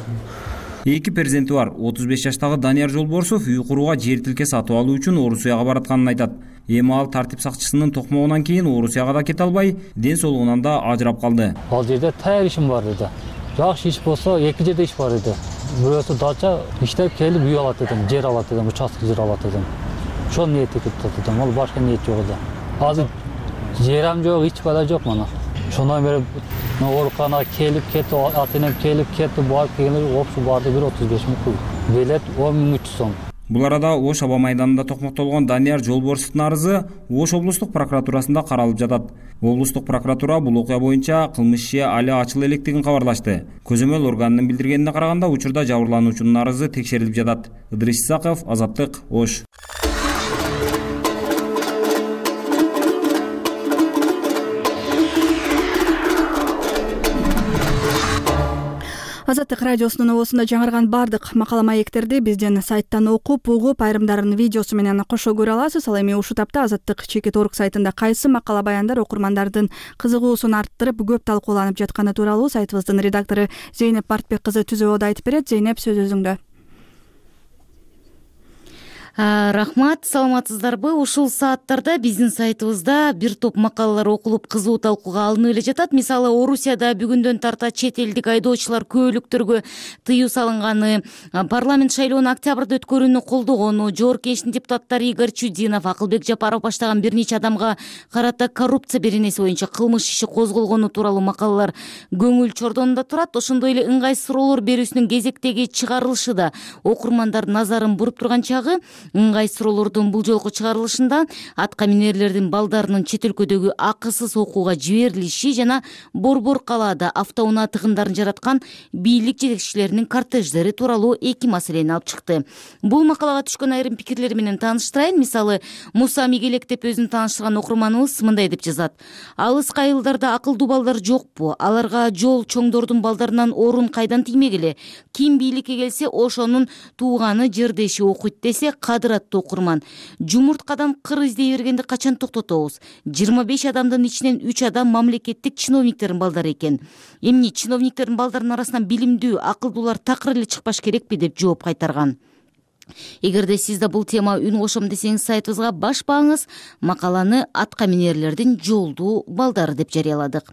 Эки перзенти бар. 35 жаштагы Данияр Жолборсов үй курууга жер тилке сатып алуу үчүн Орусияга баратканын айтат. Эми ал тартип сакчысынын токмогунан кийин Орусияга да кете албай, ден соолугунан да ажырап калды. Ал жерде таяр ишим бар деди. Жакшы иш болсо, эки жерде иш бар деди. Бирөөсү дача иштеп келип үй алат дедим, жер алат дедим, участок жер алат дедим. Ошону ниет этип турдум. Ал башка ниет жок эле. Азыр жерам жок, эч бала жок мына. Ошондон бери ооруканага келип кетти, ата-энем келип кетти, барып келгенде опшу барды 135 миң пул. Билет 10.300 сом. Бул арада Ош аба майданында токмоктолгон Данияр Жолборсовдун арызы Ош облустук прокуратурасында каралып жатат. Облустук прокуратура бул окуя боюнча кылмыш иши али ачыла электигин кабарлашты. Көзөмөл органынын билдиргенине караганда учурда жабырлануучунун арызы текшерилип жатат. Ыдрис Исаков, Азаттык, Ош. Азаттык радиосунун оосунда жаңырган бардык макала маектерди биздин сайттан окуп, угуп, айрымдарын видеосу менен кошо көрө аласыз. Ал эми ушул тапта Азаттык Чекит.org сайтында кайсы макала баяндар окурмандардын кызыгуусун арттырып, көп талкууланып жатканы тууралуу сайтыбыздын редактору Зейнеп Бартбек кызы түзөөдө айтып берет. Зейнеп, сөз өзүңдө. Рахмат, саламатсыздарбы? Ушул сааттарда биздин сайтыбызда бир топ макалалар окулуп, кызуу талкууга алынып эле жатат. Мисалы, Орусияда бүгүндөн тарта чет элдик айдоочулар көөлүктөргө тыюу салынганы, парламент шайлоонун октябрда өткөрүүнү колдогону, Жогорку Кеңештин депутаттары Игорь Чудинов, Акылбек Жапаров баштаган бир нече адамга карата коррупция беренеси боюнча кылмыш иши козголгону тууралуу макалалар көңүл чордонунда турат. Ошондой эле ыңгайсыз суроолор берүүсүнүн кезектеги чыгарылышы да окурмандардын назарын буруп турган чагы. Ыңгайсыз суроолордун бул жолку чыгарылышында атка минерлердин балдарынын чет өлкөдөгү акысыз окууга жиберилиши жана Борбор калаада автоунаа тыгындарын жараткан бийлик жетекчилеринин кортеждери тууралуу эки маселени алып чыкты. Бул макалага түшкөн айрым пикирлер менен тааныштырайын. Мисалы, Муса Мигелек деп өзүн тааныштырган окурманыбыз мындай деп жазат. Алыс кайылдарда акылдуу балдар жокпу? Аларга жол чоңдордун балдарынан орун кайдан тиймегиле? Ким бийликке келсе, ошонун тууганы жердеши окуйт десе, кадыраттуу окурман. Жумурткадан кыр издей бергенди качан токтотобуз? 25 адамдын ичинен 3 адам мамлекеттик чиновниктердин балдары экен. Эмне чиновниктердин балдарынын арасынан билимдүү, акылдуулар такыр эле чыкпаш керекпи деп жооп кайтарган. Эгерде сиз да бул тема үн кошом десеңиз, сайтыбызга башпаңыз, макаланы атка минерлердин жолдуу балдары деп жарыяладык.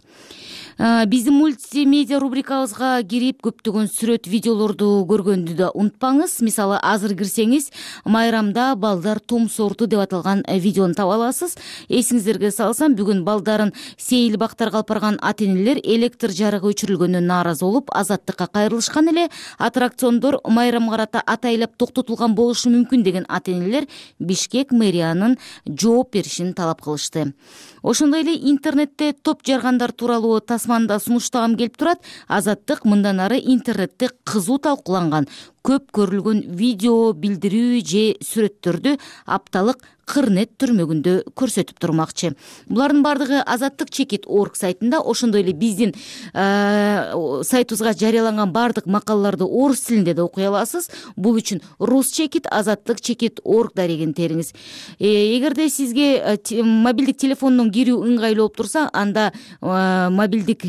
Биздин мультимедиа рубрикабызга кирип көптөгөн сүрөт, видеолорду көргөндү да унутпаңыз. Мисалы, азыр кирсеңиз, майрамда балдар томсорду деп аталган видеону таба аласыз. Эсиңиздерге салсам, бүгүн балдарын сейил бактарга алып барган ата-энелер электр жарыгы өчүрүлгөнүнө нааразы болуп, Азаттыкка кайрылышкан эле. Аттракциондор майрамга карата атайлап токтотулган болушу мүмкүн деген ата-энелер Бишкек мэриянын жооп беришин талап кылышты. Ошондой эле интернетте топ жаргандар тууралуу тасманда сунуштагым келип турат. Азаттык мындан ары интернетте кызуу талкууланган, көп көрүлгөн видео, билдирүү же сүрөттөрдү апталык Кырнет түрмөгүндө көрсөтүп турмакчы. Булардын бардыгы Азаттык Чекит.org сайтында. Ошондой эле биздин сайтыбызга жарыяланган бардык макалаларды орус тилинде да окуй аласыз. Бул үчүн Рус Чекит, Азаттык Чекит.org дарегин териңиз. Эгерде сизге мобилдик телефондон кирүү ыңгайлуу болуп турса, анда мобилдик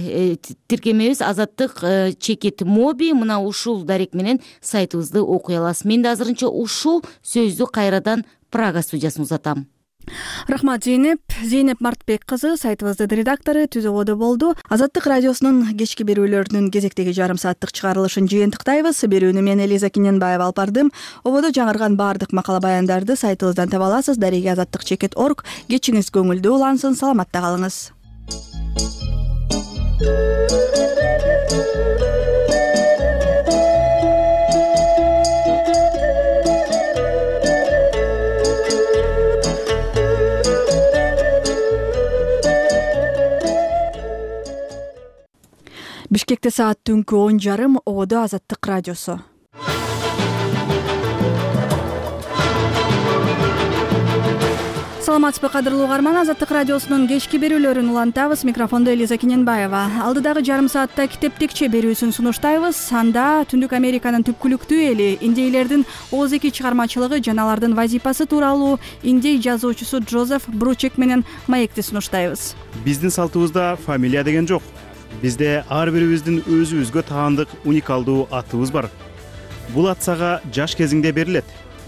тиркемебиз Азаттык Чекит моби, мына ушул дарек менен сайтыбызды окуй аласыз. Мен да азырынча ушул сөздү кайрадан Прага студиясына узатам. Рахмат, Зейнеп. Зейнеп Мартбек кызы сайтыбыздын редактору түзөгөдө болду. Азаттык радиосунун кечки берүүлөрүнүн кезектеги жарым сааттык чыгарылышын жыйынтыктайбыз. Берүүнү мен Элиза Киненбаева алып бардым. Ободо жаңырган бардык макала баяндарды сайтыбыздан таба аласыз. Дареги Азаттык Чекит.org. Кечиңиз көңүлдүү улансын, саламатта калыңыз. Бишкекте саат түнкү 10:30, Ободо Азаттык радиосу. Саламатсызбы кадырлуу угарман, Азаттык радиосунун кечки берүүлөрүн улантабыз. Микрофондо Элиза Кененбаева. Алдыдагы жарым саатта китептекче берүүсүн сунуштайбыз. Анда Түндүк Американын түпкүлүктүү эли индейлердин ооз-эки чыгармачылыгы жана алардын вазипасы тууралуу индей жазуучусу Джозеф Бручек менен маекти сунуштайбыз. Биздин салтыбызда фамилия деген жок. Бизде ар бирибиздин өзүбүзгө таандык уникалдуу атыбыз бар. Бул ат сага жаш кезиңде берилет,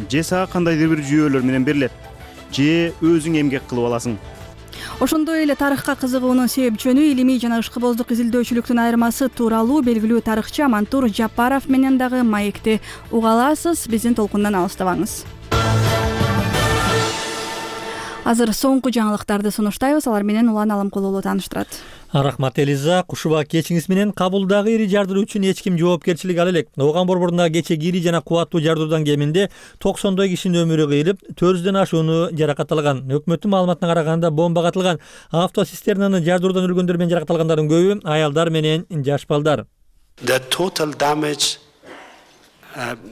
же сага кандайдыр бир жүйөлөр менен берилет, же өзүң эмгек кылып аласың. Ошондой эле тарыхка кызыгуунун себепчөнү илимий жана ышкыбоздук изилдөөчүлүктүн айырмасы тууралуу белгилүү тарыхчы Амантур Жапаров менен дагы маекти уга аласыз. Биздин толкундан алыстабаңыз. Азыр соңку жаңылыктарды сунуштайбыз. Алар менен Улан Алымкулуулу тааныштырат. Рахмат Элиза, кушуба кечиңиз менен кабылдагы ири жардыруу үчүн эч ким жоопкерчилик ала элек. Ооган борборунда кечеги ири жана кубаттуу жардыруудан кеминде 90 кишинин өмүрү кыйылып, 400дөн ашууну жаракатталган. Өкмөттүн маалыматына караганда бомба катылган автоцистернаны жардыруудан өлгөндөр менен жаракатталгандардын көбү аялдар менен жаш балдар.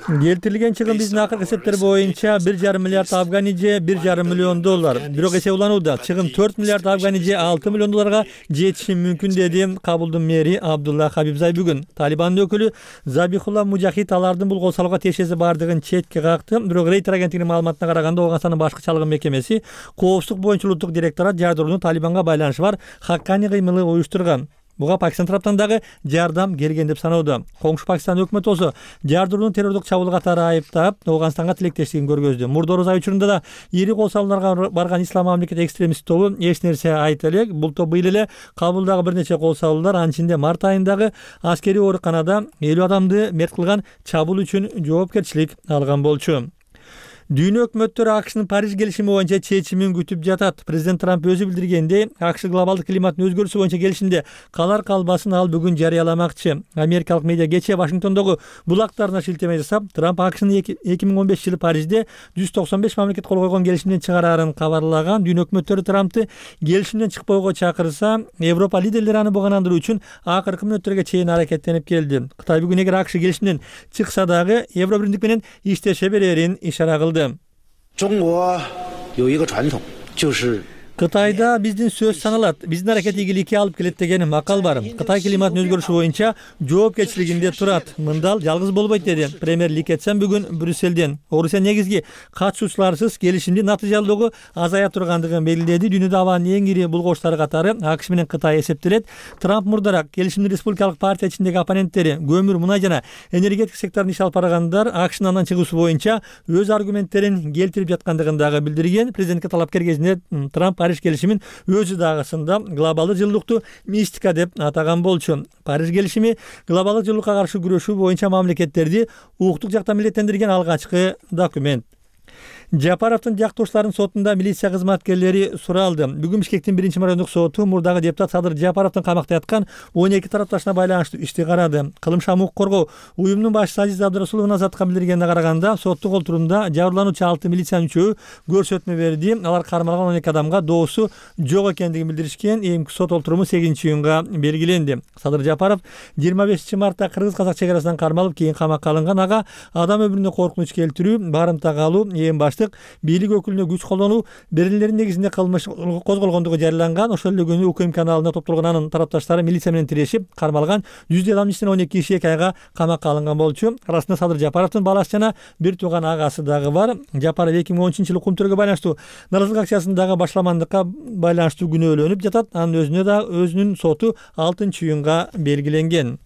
Келтирилген чыгым биздин акыркы эсептер боюнча 1,5 миллиард афгани же 1,5 миллион доллар. Бирок эсептелууда чыгым 4 миллиард афгани же 6 миллион долларга жетиши мүмкүн деди Кабулдун мэри Абдулла Хабибзай бүгүн. Талибандын өкүлү Забихулла Мужахид алардын бул кол салууга тиешеси бардыгын четке какты. Бирок Рейтер агенттигинин маалыматына караганда Ооганстандын башкы чалгын мекемеси коопсуздук боюнча улуттук директорат жардырууну Талибанга байланышы бар Хаккани кыймылы уюштурган. Буга Пакистан тараптан дагы жардам келген деп саноодо. Коңшу Пакистан өкмөтү болсо жардырууну террордук чабуул катары айыптап, Ооганстанга тилектештигин көргөздү. Мурдороз ай учурунда да ири кол салууларга барган Ислам мамлекет экстремист тобу эч нерсе айта элек. Бул топ быйыл эле Кабулдагы бир нече кол салуулар, анын ичинде март айындагы аскерий ооруканада 50 адамды мерт кылган чабуул үчүн жоопкерчилик алган болчу. Дүйнө өкмөттөрү АКШнын Париж келишими боюнча чечимин күтүп жатат. Президент Трамп өзү билдиргендей, АКШ глобалдык климаттын өзгөрүшү боюнча келишимде калар калбасын ал бүгүн жарыяламакчы. Америкалык медиа кечээ Вашингтондогу булактарына шилтеме жасап, Трамп АКШнын 2015 жылы Парижде 195 мамлекет кол койгон келишимден чыгарарын кабарлаган. Дүйнө өкмөттөрү Трампты келишимден чыкпоого чакырса, Европа лидерлери аны буганандыруу үчүн акыркы мүнөттөргө чейин аракеттенип келди. Кытай бүгүн эгер АКШ келишимден чыкса дагы Евро биримдик менен иштеше берерин ишара кылды. Кытайда биздин сөз саналат, биздин аракет ийгиликке алып келет деген макал бар. Кытай климаттын өзгөрүшү боюнча жоопкерчилигинде турат. Мындал жалгыз болбойт деди премьер Ли Кэцен бүгүн Брюссельден. Орусия негизги катышуучуларсыз келишимдин натыйжалуулугу азая тургандыгын белгиледи. Дүйнөдө абанын эң ири булгочтары катары АКШ менен Кытай эсептелет. Трамп мурдараак келишимдин республикалык партия ичиндеги оппоненттери, көмүр, мунай жана энергетика секторунда иш алып баргандар АКШнын андан чыгуусу боюнча өз аргументтерин келтирип жаткандыгын дагы билдирген. Президентке талапкер кезинде Трамп Париж келишимин өзү дагысында глобалдык жылуулукту мистика деп атаган болчу. Париж келишими глобалдык жылуулукка каршы күрөшүү боюнча мамлекеттерди укуктук жактан милдеттендирген алгачкы документ. Жапаровдун жактоочуларынын сотунда милиция кызматкерлери суралды. Бүгүн Бишкектин 1-райондук соту мурдагы депутат Садыр Жапаровдун камакта яткан 12 тарапташына байланыштуу ишти карады. Кылмыш укук коргоо уюмунун башчысы Азиз Абдырасуловдун азаттыкка билдиргенине караганда, соттук олтурумда жабырлануучу 6 милициянын үчөө көрсөтмө берди. Алар кармалган 12 адамга доосу жок экендигин билдиришкен. Эмки сот олтуруму 8-июнга белгиленди. Садыр Жапаров 25 мартта кыргыз-казак чек арасынан кармалып, кийин камакка алынган. Ага адам өмүрүнө коркунуч келтирүү, барымта калуу, эң башты бийлик өкүлүнө күч колдонуу берилеринин негизинде кылмыш козголгондугу жарыяланган. Ошол эле күнү УКМ каналына топтолгон анын тарапташтары милиция менен тирешип, кармалган 100 адамдын ичинен 12 киши 2 айга камакка алынган болчу. Арасында Садыр Жапаровдун баласы жана бир тууган агасы дагы бар. Жапаров 2013-жылы Кумтөргө байланыштуу наразылык акциясындагы башламандыкка байланыштуу күнөөлөнүп жатат. Анын өзүнө да өзүнүн соту 6-июнга белгиленген.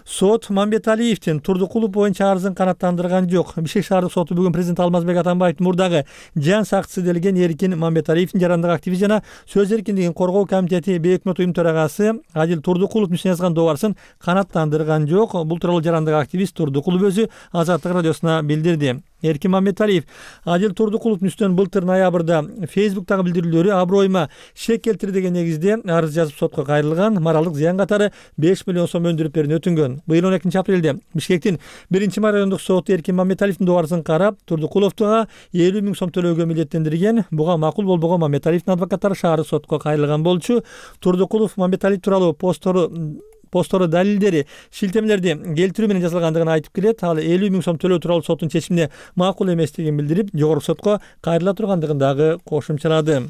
сот Мамбеталиевдин Турдукулов боюнча арызын канааттандырган жок. Бишкек шаардык соту бүгүн президент Алмазбек Атамбаевдин мурдагы жан сакчысы делген Эркин Мамбеталиевдин жарандык активист жана сөз эркиндигин коргоо комитети бейөкмөт уюм төрагасы Адил Турдукуловдун жазган добарсын канааттандырган жок. Бул тууралуу жарандык активист Турдукулов өзү Азаттык радиосуна билдирди. Эркин Мамбеталиев Адил Турдукуловдун үстүнөн былтыр ноябрда Фейсбуктагы билдирүүлөрү аброюма шек келтирди деген негизде арыз жазып сотко кайрылган. Моралдык зыян катары 5 миллион сом өндүрүп берүүнү өтүнгөн. Быйыл 12 апрелде Бишкектин 1 райондук соту Эркин Мамбеталиевдин добарысын карап, Турдукуловго 50 000 сом төлөөгө милдеттендирген. Буга макул болбогон Мамбеталиевдин адвокаттары шаардык сотко кайрылган болчу. Турдукулов Мамбеталиев тууралуу постору далилдери, шилтемелерди келтирүү менен жасалгандыгын айтып келет. Ал 50 000 сом төлөө тууралуу соттун чечимине макул эместигин билдирип, жогорку сотко кайрыла тургандыгын дагы кошумчалады.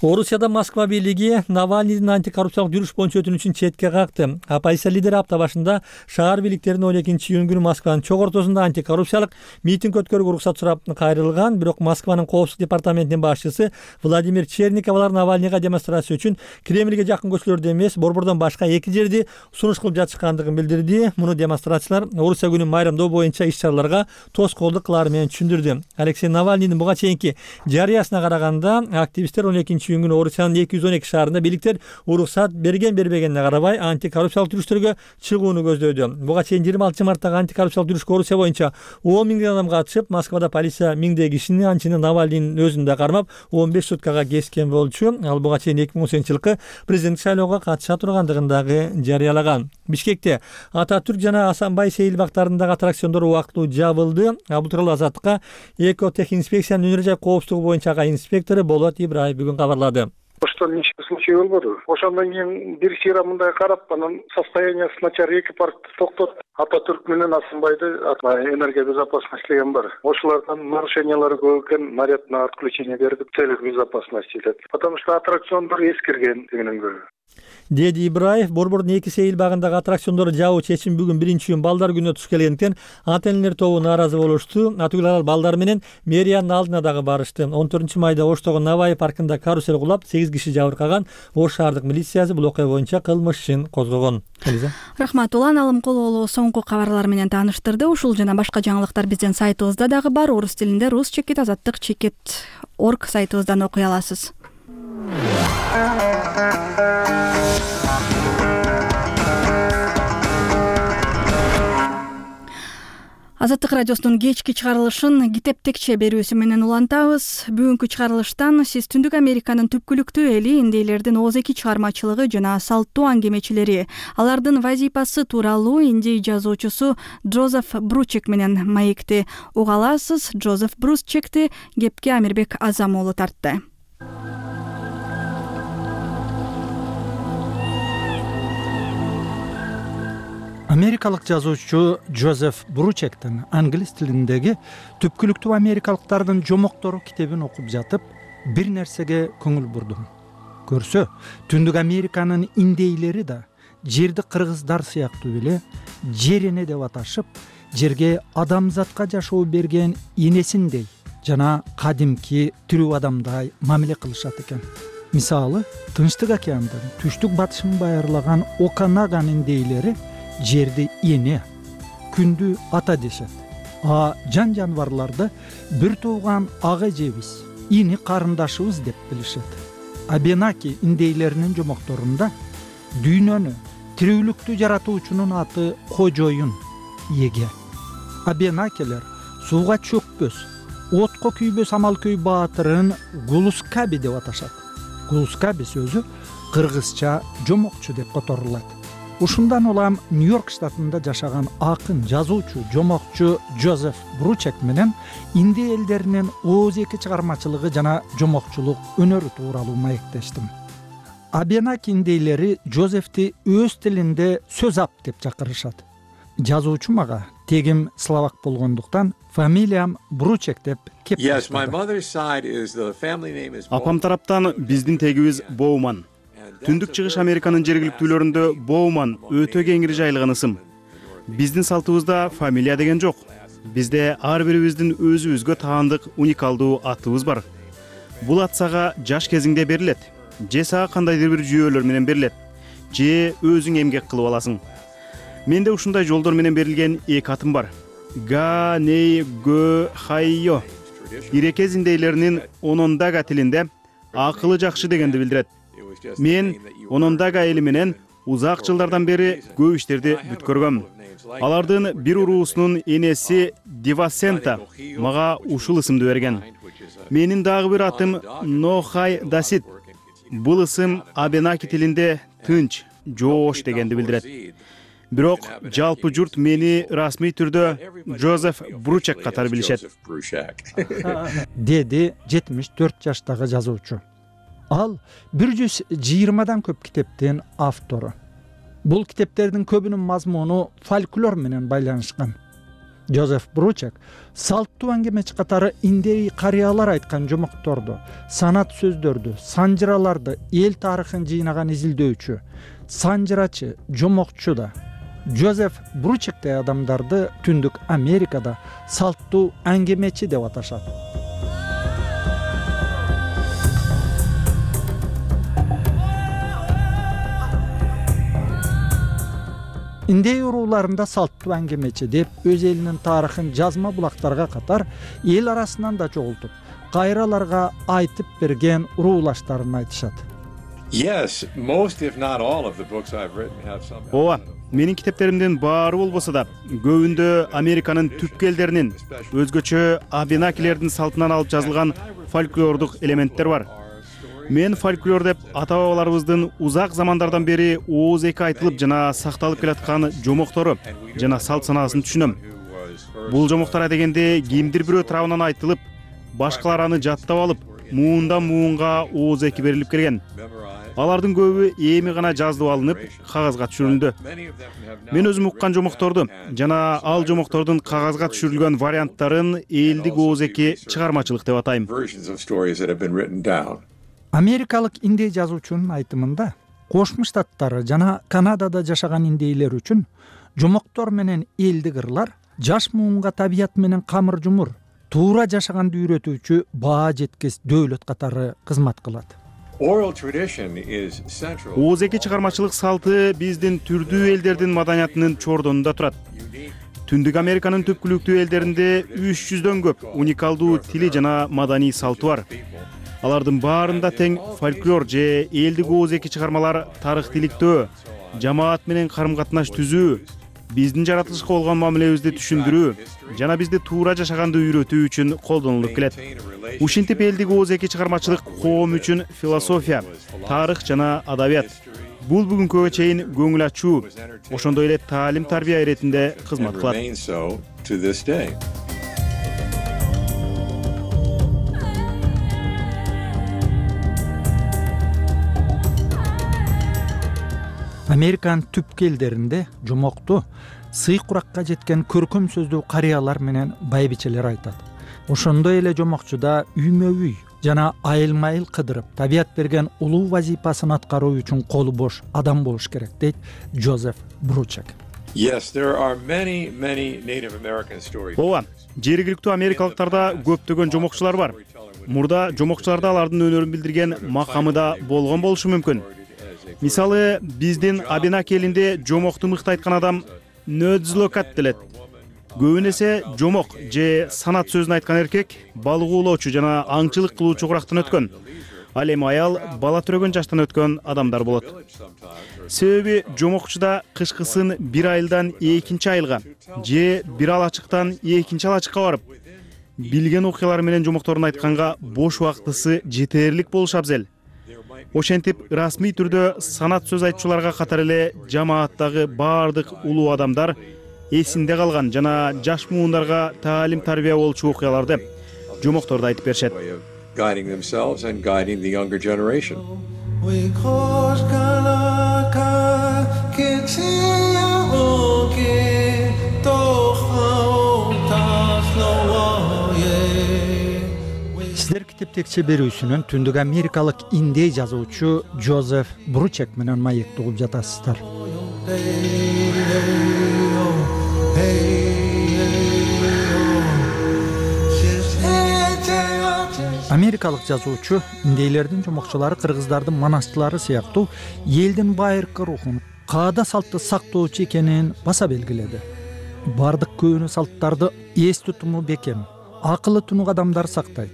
Орусияда Москва бийлиги Навальныйдын антикоррупциялык жүрүш боюнча өтүнүчүн четке какты. Оппозиция лидери апта башында шаар бийликтеринин 12-июнь күнү Москванын чок ортосунда антикоррупциялык митинг өткөрүүгө уруксат сурап кайрылган. Бирок Москванын коопсуздук департаментинин башчысы Владимир Черников алар Навальныйга демонстрация үчүн Кремльге жакын көчөлөрдө эмес, борбордон башка 2 жерди сунуш кылып жатышкандыгын билдирди. Муну демонстрациялар Орусия күнүн майрамдоо боюнча иш-чараларга тоскоолдук кылаары менен түшүндүрдү. Алексей Навальныйдын буга чейинки жарыясына караганда активисттер 12-июнь күнү Орусиянын 212 шаарында бийликтер уруксат берген-бербегенине карабай антикоррупциялык жүрүштөргө чыгууну көздөдү. Буга чейин 26 марттагы антикоррупциялык жүрүшкө Орусия боюнча 10 000 адам катышып, Москвада полиция 1000 кишини, анчины Навальныйдын өзүн да кармап 15 суткага кескен болчу. Ал буга чейин 2018-жылкы президенттик шайлоого катыша тургандыгын дагы жарыялаган. Бишкекте Ататүрк жана Асанбай Сейил бактарындагы аттракциондор убактылуу жабылды. Бул тууралуу Азаттыкка Экотехинспекциянын өнөр жай коопсуздугу боюнча инспектору Болот Ибраев бүгүн кабарлады. Ошто ничек случай болбоду. Ошондон кийин бир сыйра мындай карап, анан состояниясы начар 2 паркты токтотуп, Ататүрк менен Асанбайды энергия безопасности деген бар. Ошолордон нарушениялары көп экен, наряд на отключение бердик, целых безопасности деп. Потому что аттракциондор эскирген дегенен көрү. Деди Ибраев, борбордун 2 Сейил багындагы аттракциондорду жабуу чечим бүгүн 1-июнь балдар күнүнө туш келгендиктен ата-энелер тобу нааразы болушту. Атүгүл алар балдар менен мэриянын алдына дагы барышты. 14 майда Оштогу Навай паркында карусел кулап 8 киши жабыркаган. Ош шаардык милициясы бул окуя боюнча кылмыш ишин козгогон. Рахмат, Улан Алымкулуулу соңку кабарлар менен тааныштырды. Ушул жана башка жаңылыктар биздин сайтыбызда дагы бар. Орус тилинде rus-azаттыk.org сайтыбыздан окуй аласыз. Азаттык радиосунун кечки чыгарылышын китеп текче берүүсү менен улантабыз. Бүгүнкү чыгарылыштан сиз Түндүк Американын түпкүлүктүү эли индейлердин ооз-эки чыгармачылыгы жана салттуу аңгемечилери, алардын вазипасы тууралуу индей жазуучусу Джозеф Бручек менен маекти уга аласыз. Джозеф Бручекти кепке Амирбек Азам уулу тартты. Америкалык жазуучу Джозеф Бручектин англис тилиндеги Түпкүлүктүү америкалыктардын жомоктору китебин окуп жатып, бир нерсеге көңүл бурдум. Көрсө, Түндүк Американын индейлери да жерди кыргыздар сыяктуу эле жер эне деп аташып, жерге адамзатка жашоо берген энесиндей жана кадимки тирүү адамдай мамиле кылышат экен. Мисалы, Тынчтык океандын түштүк батышын байырлаган Оканаган индейлери жерди эне, күндү ата дешет. Жан жаныбарларды бир тууган ага эжебиз, ини карындашыбыз деп билишет. Абенаки индейлеринин жомокторунда дүйнөнү, тирүүлүктү жаратуучунун аты кожоюн, эге. Абенакилер сууга чөкпөс, отко күйбөс амалкөй баатырын Гулускаби деп аташат. Гулускаби сөзү кыргызча жомокчу деп которулат. Ушундан улам Нью-Йорк штатында жашаган акын, жазуучу, жомокчу Джозеф Бручек менен индей элдеринин ооз-эки чыгармачылыгы жана жомокчулук өнөрү тууралуу маектештим. Абенаки индейлери Джозефти өз тилинде сөз ап деп чакырышат. Жазуучу мага тегим словак болгондуктан фамилиям Бручек деп кеп Апам тараптан биздин тегибиз Боуман. Түндүк чыгыш Американын жергиликтүүлөрүндө Боуман өтө кеңири жайылган ысым. Биздин салтыбызда фамилия деген жок. Бизде ар бирибиздин өзүбүзгө таандык уникалдуу атыбыз бар. Бул ат сага жаш кезиңде берилет, же сага кандайдыр бир жүйөлөр менен берилет, же өзүң эмгек кылып аласың. менде ушундай жолдор менен берилген эки атым бар. Га ней гө хайо ирекез индейлеринин Онондага тилинде акылы жакшы дегенди билдирет. Мен Онондага эли менен узак жылдардан бери көп иштерди бүткөргөм. Алардын бир уруусунун энеси Дивасента мага ушул ысымды берген. Менин дагы бир атым Нохай Дасит. Бул ысым Абенаки тилинде тынч, жоош дегенди билдирет. Бирок жалпы журт мени расмий түрдө Джозеф Бручек катары билишет. Деди 74 жаштагы жазуучу. Ал 120дан көп китептин автору. Бул китептердин көбүнүн мазмуну фольклор менен байланышкан. Джозеф Бручек салттуу аңгемечи катары индей карыялар айткан жомокторду, санат сөздөрдү, санжыраларды, эл тарыхын жыйнаган изилдөөчү, санжырачы, жомокчу да. Джозеф Бручектей адамдарды Түндүк Америкада салттуу аңгемечи деп аташат. Индей урууларында салттуу аңгемечи деп өз элинин тарыхын жазма булактарга катар эл арасынан да чогултуп, кайраларга айтып берген уруулаштарын айтышат. Ооба, менин китептеримдин баары болбосо да, көбүндө Американын түпкү элдеринин, өзгөчө абенакилердин салтынан алып жазылган фольклордук элементтер бар. Мен фольклор деп ата-бабаларыбыздын узак замандардан бери ооз эки айтылып жана сакталып келаткан жомоктору жана салт санаасын түшүнөм. Бул жомоктор дегенде кимдир бирөө тарабынан айтылып, башкалар аны жаттап алып, муундан муунга ооз эки берилип келген. Алардын көбү эми гана жазылып алынып, кагазга түшүрүлдү. Мен өзүм уккан жомокторду жана ал жомоктордун кагазга түшүрүлгөн варианттарын элдик ооз эки чыгармачылык деп атайм. Америкалык индей жазуучунун айтымында, Кошмо Штаттары жана Канадада жашаган индейлер үчүн жомоктор менен элдик ырлар жаш муунга табият менен камыр жумур, туура жашаганды үйрөтүүчү баа жеткес дөөлөт катары кызмат кылат. Ооз эки чыгармачылык салты биздин түрдүү элдердин маданиятынын чордонунда турат. Түндүк Американын түпкүлүктүү элдеринде 300дөн көп уникалдуу тили жана маданий салты бар. Алардын баарында тең фольклор же элдик ооз эки чыгармалар тарыхтиликтөө, жамаат менен карым-катнаш түзүү, биздин жаратылышка болгон мамилебизди түшүндүрүү жана бизди туура жашаганды үйрөтүү үчүн колдонулуп келет. Ушинтип элдик ооз эки чыгармачылык коом үчүн философия, тарых жана адабият. Бул бүгүнкүгө чейин көңүл ачуу, ошондой эле таалим-тарбия иретинде кызмат кылат. Американын түпкү элдеринде жомокту сый куракка жеткен көркөм сөздүү карыялар менен байбичелер айтат. Ошондой эле жомокчуда үймө-үй жана айылма-айыл кыдырып, табият берген улуу вазипасын аткаруу үчүн колу бош адам болуш керек, дейт Джозеф Бручек. Ооба, жергиликтүү америкалыктарда көптөгөн жомокчулар бар. Мурда жомокчуларда алардын өнөрүн билдирген макамы да болгон болушу мүмкүн. Мисалы, биздин Абенаки элинде жомокту мыкты айткан адам нөдзлокат делет. Көбүнесе жомок же санат сөзүн айткан эркек балык оолоочу жана аңчылык кылуучу курактан өткөн. Ал эми аял бала төрөгөн жаштан өткөн адамдар болот. Себеби жомокчуда кышкысын бир айылдан экинчи айылга же бир алачыктан экинчи алачыкка барып, билген окуялары менен жомокторун айтканга бош убактысы жетерлик болушу абзел. Ошентип, расмий түрдө санат сөз айтчуларга катар эле жамааттагы баардык улуу адамдар эсинде калган жана жаш муундарга таалим-тарбия болчу окуяларды жомокторду айтып беришет. Сиздер китептекче берүүсүнүн Түндүк Америкалык индей жазуучу Джозеф Бручек менен маек угуп жатасыздар. Америкалык жазуучу индейлердин жомокчулары кыргыздардын манасчылары сыяктуу элдин байыркы рухун, каада салтты сактоочу экенин баса белгиледи. Бардык көөнү салттарды эс тутуму бекем, акылы тунук адамдар сактайт.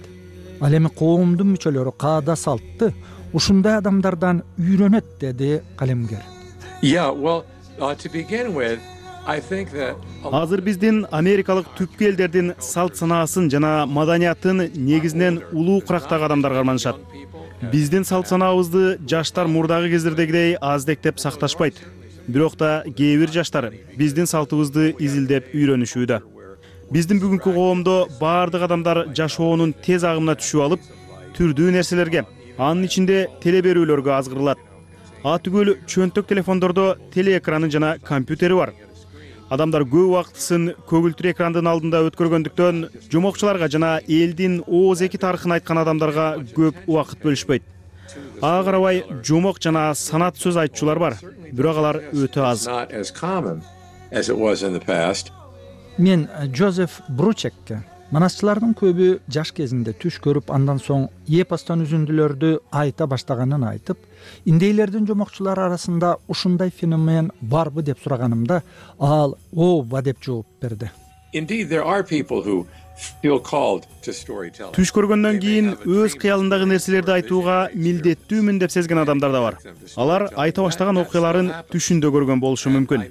Ал эми коомдун мүчөлөрү каада салтты ушундай адамдардан үйрөнөт, деди калемгер. Азыр биздин америкалык түпкү элдердин салт санаасын жана маданиятын негизинен улуу курактагы адамдар карманышат. Биздин салт санаабызды жаштар мурдагы кездердегидей аздектеп сакташпайт. Бирок да кээ бир жаштар биздин салтыбызды изилдеп үйрөнүшүүдө. Биздин бүгүнкү коомдо баардык адамдар жашоонун тез агымына түшүп алып, түрдүү нерселерге, анын ичинде теле берүүлөргө азгырылат. Атүгүл чөнтөк телефондордо телеэкраны жана компьютери бар. Адамдар көп убактысын көгүлтүр экрандын алдында өткөргөндүктөн жомокчуларга жана элдин ооз эки тарыхын айткан адамдарга көп убакыт бөлүшпөйт. Ага карабай жомок жана санат сөз айтчулар бар, бирок алар өтө аз. Мен Джозеф Бручекке манасчылардын көбү жаш кезинде түш көрүп, андан соң эпостон үзүндүлөрдү айта баштаганын айтып, индейлердин жомокчулары арасында ушундай феномен барбы деп сураганымда, ал ооба деп жооп берди. Түш көргөндөн кийин өз кыялындагы нерселерди айтууга милдеттүүмүн деп сезген адамдар да бар. Алар айта баштаган окуяларын түшүндө көргөн болушу мүмкүн.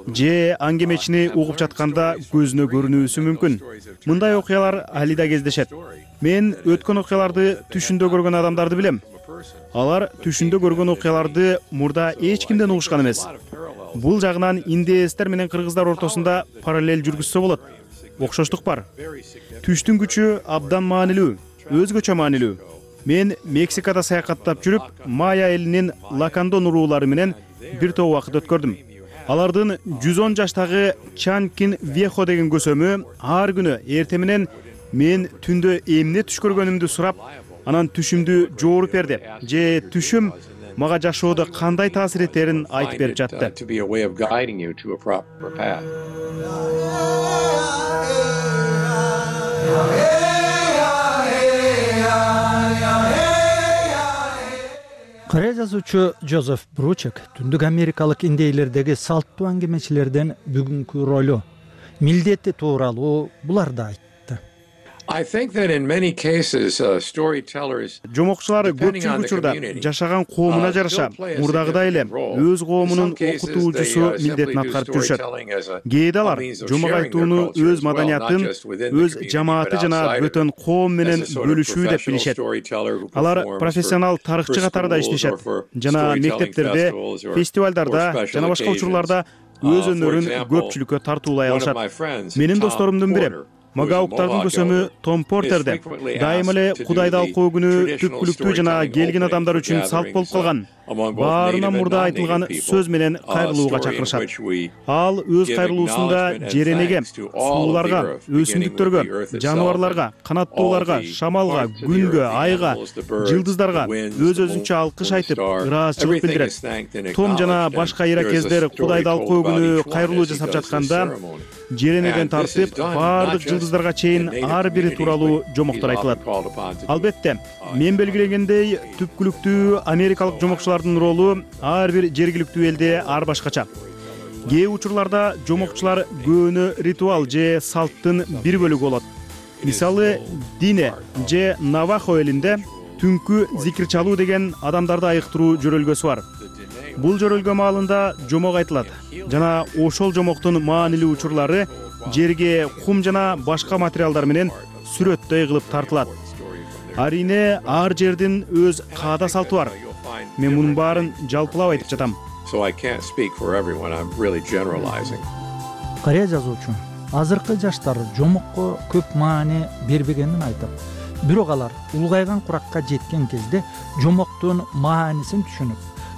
Же аңгемечини угуп жатканда көзүнө көрүнүүсү мүмкүн. Мындай окуялар али да кездешет. Мен өткөн окуяларды түшүндө көргөн адамдарды билем. Алар түшүндө көргөн окуяларды мурда эч кимден угушкан эмес. Бул жагынан индеецтер менен кыргыздар ортосунда параллель жүргүзсө болот. Окшоштук бар. Түштүн күчү абдан маанилүү, өзгөчө маанилүү. Мен Мексикада саякаттап жүрүп, майя элинин Лакандон уруулары менен бир топ убакыт өткөрдүм. Алардын 110 жаштагы Чанкин Вехо деген көсөмү ар күнү эртең менен мен түндө эмне түш көргөнүмдү сурап, анан түшүмдү жооруп берди. Же түшүм мага жашоодо кандай таасир этерин айтып берип жатты. Кыргыз жазуучу Джозеф Бручек түндүк америкалык индейлердеги салттуу аңгемечилердин бүгүнкү ролу, милдети тууралуу буларды айтты. Жомокчулар көпчүлүк учурда жашаган коомуна жараша мурдагыдай эле өз коомунун окутуучусу милдетин аткарып жүрүшөт. Кээде алар жомок айтууну өз маданиятын, өз жамааты жана бөтөн коом менен бөлүшүү деп билишет. Алар профессионал тарыхчы катарында иштешет жана мектептерде, фестивалдарда жана башка учурларда өз өнөрүн көпчүлүккө тартуулай алышат. Менин досторумдун бири Магауктардын көсөмү Том Портерде дайыма эле Кудайды алкоо күнү түпкүлүктүү жана келген адамдар үчүн салт болуп калган. Баарынан мурда айтылган сөз менен кайрылууга чакырышат. Ал өз кайрылуусунда жеренеге, сууларга, өсүмдүктөргө, жаныбарларга, канаттууларга, шамалга, күнгө, айга, жылдыздарга өз-өзүнчө алкыш айтып, ыраазычылык билдирет. Том жана башка иракездер Кудайды алкоо күнү кайрылуу жасап жатканда жеренеден тартып баардык жылдыздарга чейин ар бири тууралуу жомоктор айтылат. Албетте, мен белгилегендей түпкүлүктүү америкалык жомокчулардын ролу ар бир жергиликтүү элде ар башкача. Кээ учурларда жомокчулар көөнө ритуал же салттын бир бөлүгү болот. Мисалы, Дине же Навахо элинде түнкү зикир чалуу деген адамдарды айыктыруу жөрөлгөсү бар. Бул жөрөлгө маалында жомок айтылат жана ошол жомоктун маанилүү учурлары жерге кум жана башка материалдар менен сүрөттөй кылып тартылат. Арине ар жердин өз каада салты бар. Мен мунун баарын жалпылап айтып жатам. Кыргыз жазуучу азыркы жаштар жомокко көп маани бербегенин айтып, бирок алар улгайган куракка жеткен кезде жомоктун маанисин түшүнүп,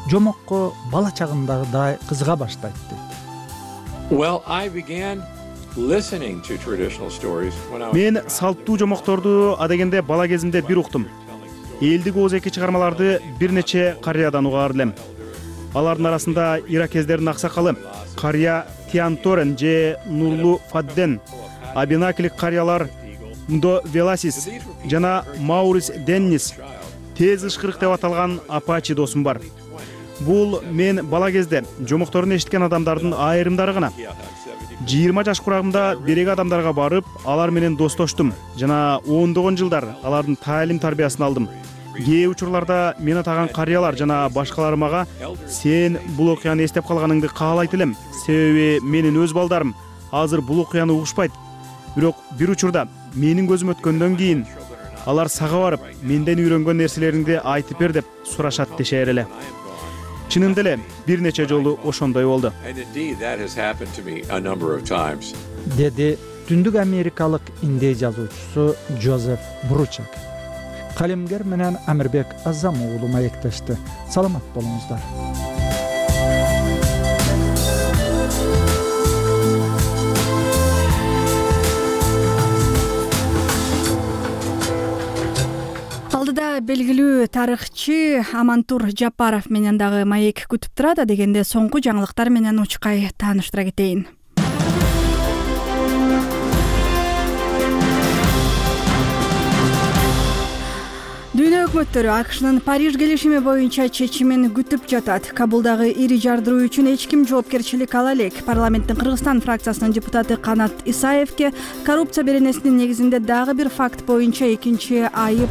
жомокко бала чагындагыдай кызыга баштайт дейт. Мен салттуу жомокторду адегенде бала кезимде бир уктум. Элдик ооз эки чыгармаларды бир нече карыядан угаар элем. Алардын арасында иракездердин аксакалы карыя Тианторен же Нурлу Фадден, абинаклик карыялар Ндо Веласис жана Маурис Деннис, тез ышкырык деп аталган Апачи досум бар. бул мен бала кезде жомокторун эшиткен адамдардын айрымдары гана. 20 жаш курагымда берек адамдарга барып, алар менен достоштум жана ондогон жылдар алардын таалим тарбиясын алдым. Кээ учурларда мени таган карыялар жана башкалар мага сен бул окуяны эстеп калганыңды каалайт элем, себеби менин өз балдарым азыр бул окуяны угушпайт. Бирок бир учурда менин көзүм өткөндөн кийин алар сага барып, менден үйрөнгөн нерселериңди айтып бер деп сурашат дешер эле. Чынында эле бир нече жолу ошондой болду. Деди Түндүк Америкалык индей жазуучусу Джозеф Бручек. Калемгер менен Амирбек Азам уулу маектешти. Саламат болуңуздар. Алдыда белгилүү тарыхчы Амантур Жапаров менен дагы маек күтүп турат. Дегенде соңку жаңылыктар менен учкай тааныштыра кетейин. Дүйнө өкмөттөрү АКШнын Париж келишими боюнча чечимин күтүп жатат. Кабулдагы ири жардыруу үчүн эч ким жоопкерчилик ала элек. Парламенттин Кыргызстан фракциясынын депутаты Канат Исаевке коррупция беренесинин негизинде дагы бир факт боюнча экинчи айып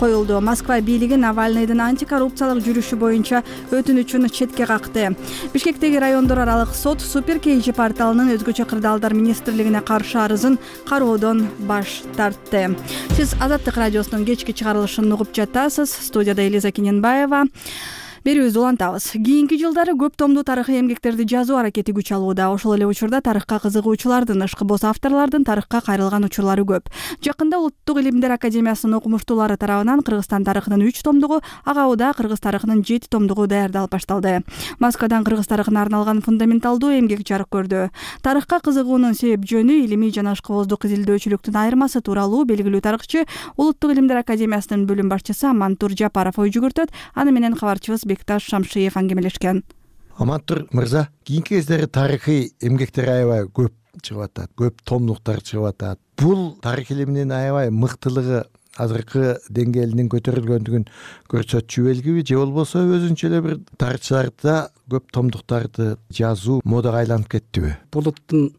коюлду. Москва бийлиги Навальныйдын антикоррупциялык жүрүшү боюнча өтүнүчүн четке какты. Бишкектеги райондор аралык сот Супер KG порталынын өзгөчө кырдаалдар министрлигине каршы арызын кароодон баш тартты. Сиз Азаттык радиосунун кечки чыгарылышын угуп жатасыз. Студияда Элиза Кененбаева. Берүүбүздү улантабыз. Кийинки жылдары көп томдуу тарыхый эмгектерди жазуу аракети күч алууда. Ошол эле учурда тарыхка кызыгуучулардын, ышкыбоз авторлордун тарыхка кайрылган учурлары көп. Жакында Улуттук илимдер академиясынын окумуштуулары тарабынан Кыргызстан тарыхынын 3 томдугу, Агауда кыргыз тарыхынын 7 томдугу даярдалып башталды. Москвадан кыргыз тарыхына арналган фундаменталдуу эмгек жарык көрдү. Тарыхка кызыгуунун себеп жөнү илимий жана ышкыбоздук изилдөөчүлүктүн айырмасы тууралуу белгилүү тарыхчы Улуттук илимдер академиясынын бөлүм башчысы Амантур Жапаров ой жүгүртөт. Аны менен кабарчыбыз Бекташ Шамшиев аңгемелешкен. Амантур мырза, кийинки кездери тарыхый эмгектер аябай көп чыгып атат, көп томдуктар чыгып атат. Бул тарых илиминин аябай мыктылыгы азыркы деңгээлинин көтөрүлгөндүгүн көрсөтчү белгиби, же болбосо өзүнчө эле бир тарыхчыларда көп томдуктарды жазуу модага айланып кеттиби? Булуттун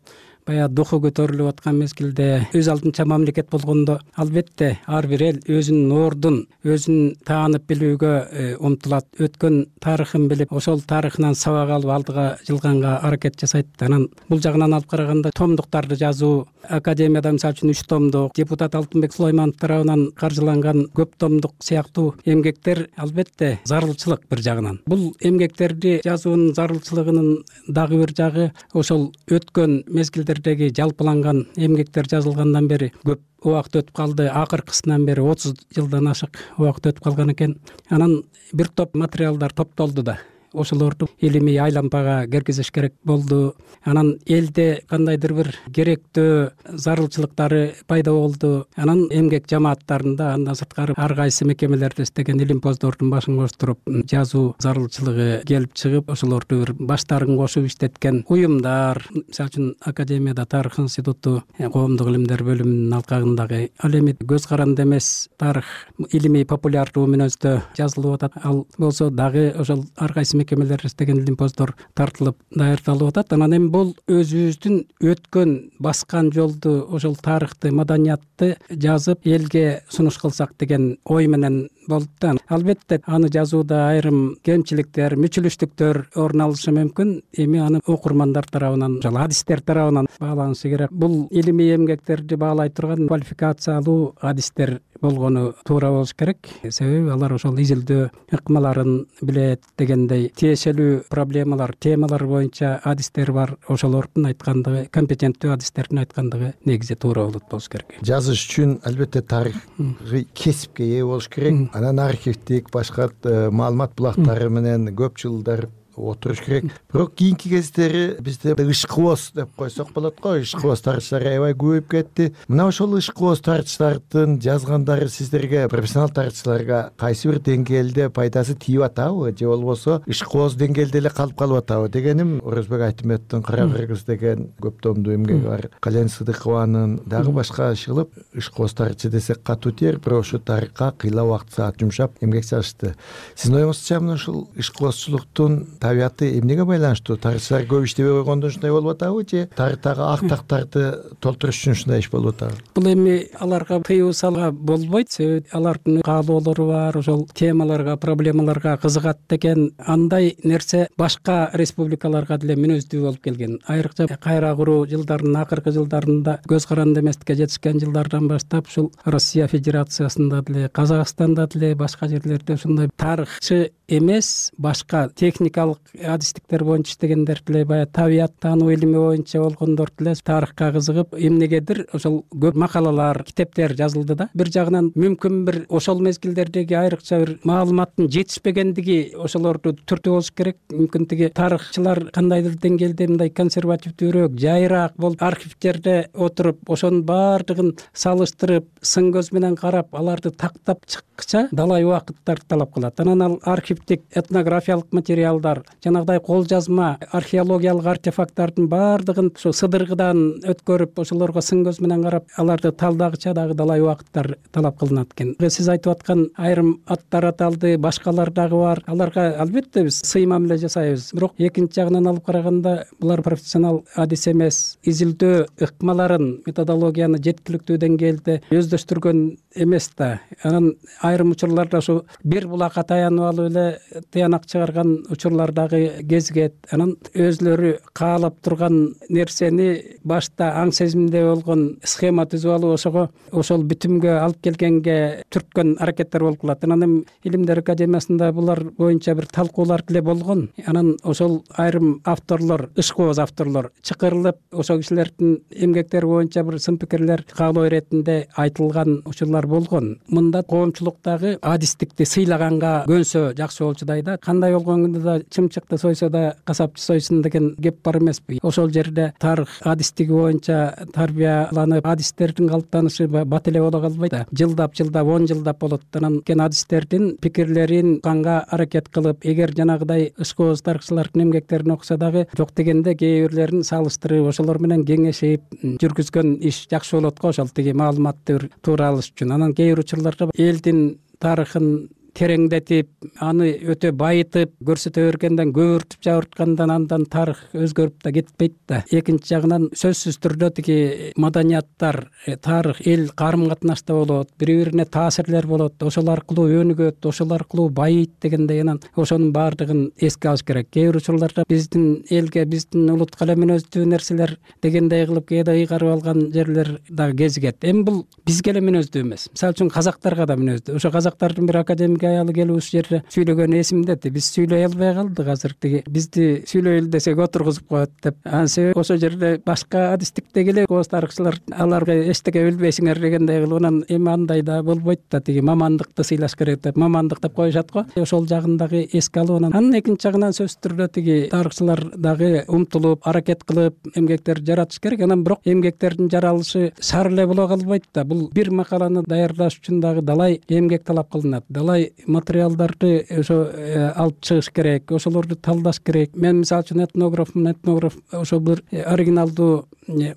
баягы духу көтөрүлүп аткан мезгилде өз алдынча мамлекет болгондо албетте ар бир эл өзүнүн ордун, өзүн таанып билүүгө умтулат. Өткөн тарыхын билип, ошол тарыхынан сабак алып алдыга жылганга аракет жасайт. Анан бул жагынан алып караганда томдуктарды жазуу, академияда мисалы үчүн 3 томдук, депутат Алтынбек Сулайманов тарабынан каржыланган көп томдук сыяктуу эмгектер албетте зарылчылык бир жагынан. Бул эмгектерди жазуунун зарылчылыгынын дагы бир жагы ошол өткөн мезгилдердеги жалпыланган эмгектер жазылгандан бери көп убакыт өтүп калды. Акыркысынан бери 30 жылдан ашык убакыт өтүп калган экен. Анан бир топ материалдар топтолду да ошолорду илимий айлампага киргизиш керек болду. Анан элде кандайдыр бир керектөө зарылчылыктары пайда болду. Анан эмгек жамааттарында андан сырткары ар кайсы мекемелерде иштеген илимпоздордун башын коштуруп жазуу зарылчылыгы келип чыгып, ошолорду бир баштарын кошуп иштеткен уюмдар, мисалы үчүн Академияда Тарых институту, коомдук илимдер бөлүмүнүн алкагындагы ал эми көз каранды эмес тарых илимий популярдуу мүнөздө жазылып атат. Ал болсо дагы ошол ар кайсы мекемелерде иштеген илимпоздор тартылып даярдалып атат. Анан эми бул өзүбүздүн өткөн баскан жолду, ошол тарыхты, маданиятты жазып элге сунуш кылсак деген ой менен болду да. Албетте аны жазууда айрым кемчиликтер, мүчүлүштүктөр орун алышы мүмкүн. Эми аны окурмандар тарабынан, ошол адистер тарабынан бааланышы керек. Бул илимий эмгектерди баалай турган квалификациялуу адистер болгону туура болуш керек. Себеби алар ошол изилдөө ыкмаларын билет дегендей тиешелүү проблемалар, темалар боюнча адистер бар. Ошолордун айткандыгы, компетенттүү адистердин айткандыгы негизи туура болуш керек. Жазыш үчүн албетте тарыхый кесипке ээ болуш керек. Анан архивдик башка маалымат булактары менен көп жылдар отуруш керек. Бирок кийинки кездери бизде ышкыбоз деп койсок болот го. Ышкыбоз тарыхчылар аябай көбөйүп кетти. Мына ошол ышкыбоз тарыхчылардын жазгандары сиздерге, профессионал тарыхчыларга кайсы бир деңгээлде пайдасы тийип атабы, же болбосо ышкыбоз деңгээлде эле калып атабы дегеним. Орозбек Айтметтин Кара кыргыз деген көп томдуу эмгеги бар. Кален Сыдыкованын дагы башка чыгылып ышкыбоз тарыхчы десек катуу тиер, бирок ошо тарыхка кыйла убакыт саат жумшап эмгек чыгышты. Сиздин оюңузча мына ушул ышкыбозчулуктун табияты эмнеге байланыштуу? Тарыхчылар көп иштебей койгондон ушундай болуп атабы, же тарыхтагы актактарды толтуруш үчүн ушундай иш болуп атабы? Бул эми аларга тыюу салууга болбойт. Себеби алардын каалоолору бар, ошол темаларга, проблемаларга кызыгат деген андай нерсе башка республикаларга деле мүнөздүү болуп келген. Айрыкча кайра куруу жылдарынын акыркы жылдарында көз каранды эместикке жетишкен жылдардан баштап ушул Россия Федерациясында деле, Казакстанда деле, башка жерлерде ушундай тарыхчы эмес, башка техникалык адистиктер боюнча иштегендер деле, баягы табият таануу илими боюнча болгондор деле тарыхка кызыгып, эмнегедир ошол көп макалалар, китептер жазылды да. Бир жагынан мүмкүн бир ошол мезгилдердеги айрыкча бир маалыматтын жетишпегендиги ошолорду түртүү болуш керек. Мүмкүн тиги тарыхчылар кандайдыр деңгээлде мындай консервативдүүрөөк, жайыраак болуп, архивтерде отуруп, ошонун баардыгын салыштырып, сын көз менен карап, аларды тактап чыккыча далай убакыттар талап кылат. Анан ал архивдик, этнографиялык материалдар, жанагыдай кол жазма, археологиялык артефакттардын баардыгын ошо сыдыргыдан өткөрүп, ошолорго сын көз менен карап, аларды талдагыча дагы далай убакыттар талап кылынат экен. Сиз айтып аткан айрым аттар аталды, башкалар дагы бар. Аларга албетте биз сый мамиле жасайбыз. Бирок экинчи жагынан алып караганда, булар профессионал адис эмес, изилдөө ыкмаларын, методологияны жеткиликтүү деңгээлде өздөштүргөн эмес да. Анан айрым учурларда ошо бир булакка таянып алып эле тыянак чыгарган учурлар дагы кезигет. Анан өзлөрү каалап турган нерсени башта аң сезимде болгон схема түзүп алып, ошого ошол бүтүмгө алып келгенге түрткөн аракеттер болуп калат. Анан Илимдер академиясында булар боюнча бир талкуулар деле болгон. Анан ошол айрым авторлор, ышкыбоз авторлор чакырылып, ошол кишилердин эмгектери боюнча бир сын пикирлер каалоо иретинде айтылган учурлар болгон. Мында коомчулуктагы адистикти сыйлаганга көнсө жакшы болчудай да. Кандай болгондо да чымчыкты сойсо да касапчы сойсун деген кеп бар эмеспи? Ошол жерде тарых адистиги боюнча тарбияланып, адистердин калыптанышы бат эле боло калбайт да. Жылдап, 10 жылдап болот. Анан кен адистердин пикирлерин канга аракет кылып, эгер жанагыдай ышкыбоз тарыхчылардын эмгектерин окуса дагы жок дегенде кээ бирлерин салыштырып, ошолор менен кеңешип жүргүзгөн иш жакшы болот го, ошол тиги маалыматты туура алыш үчүн. Анан кээ бир учурларда элдин тарыхын тереңдетип, аны өтө байытып, көрсөтө бергенден, көбүртүп жабырткандан андан тарых өзгөрүп да кетпейт да. Экинчи жагынан сөзсүз түрдө тиги маданияттар, тарых, эл карым катнашта болот, бири-бирине таасирлер болот, ошол аркылуу өнүгөт, ошол аркылуу байыйт дегендей, анан ошонун баардыгын эске алыш керек. Кээ бир учурларда биздин элге, биздин улутка эле мүнөздүү нерселер дегендей кылып кээде ыйгарып алган жерлер дагы кезигет. Эми бул бизге эле мүнөздүү эмес. Мисалы үчүн казактарга да мүнөздүү. Ошо казактардын бир академик аялы келип ушул жерде сүйлөгөн эсимде. Биз сүйлөй албай калдык азыр, тиги бизди сүйлөйлү десек отургузуп коет деп. Себеби ошол жерде башка адистиктеги эле көз тарыхчылар аларга эчтеке билбейсиңер дегендей кылып, анан эми андай да болбойт да, тиги мамандыкты сыйлаш керек деп, мамандык деп коюшат го. Ошол жагын дагы эске алып, анан экинчи жагынан сөзсүз түрдө тиги тарыхчылар дагы умтулуп, аракет кылып эмгектер жаратыш керек. Анан бирок эмгектердин жаралышы шаар эле боло калбайт да. Бул бир макаланы даярдаш үчүн дагы далай эмгек талап кылынат. Далай материалдарды ошо алып чыгыш керек, ошолорду талдаш керек. Мен мисалы үчүн этнограф ошо бир оригиналдуу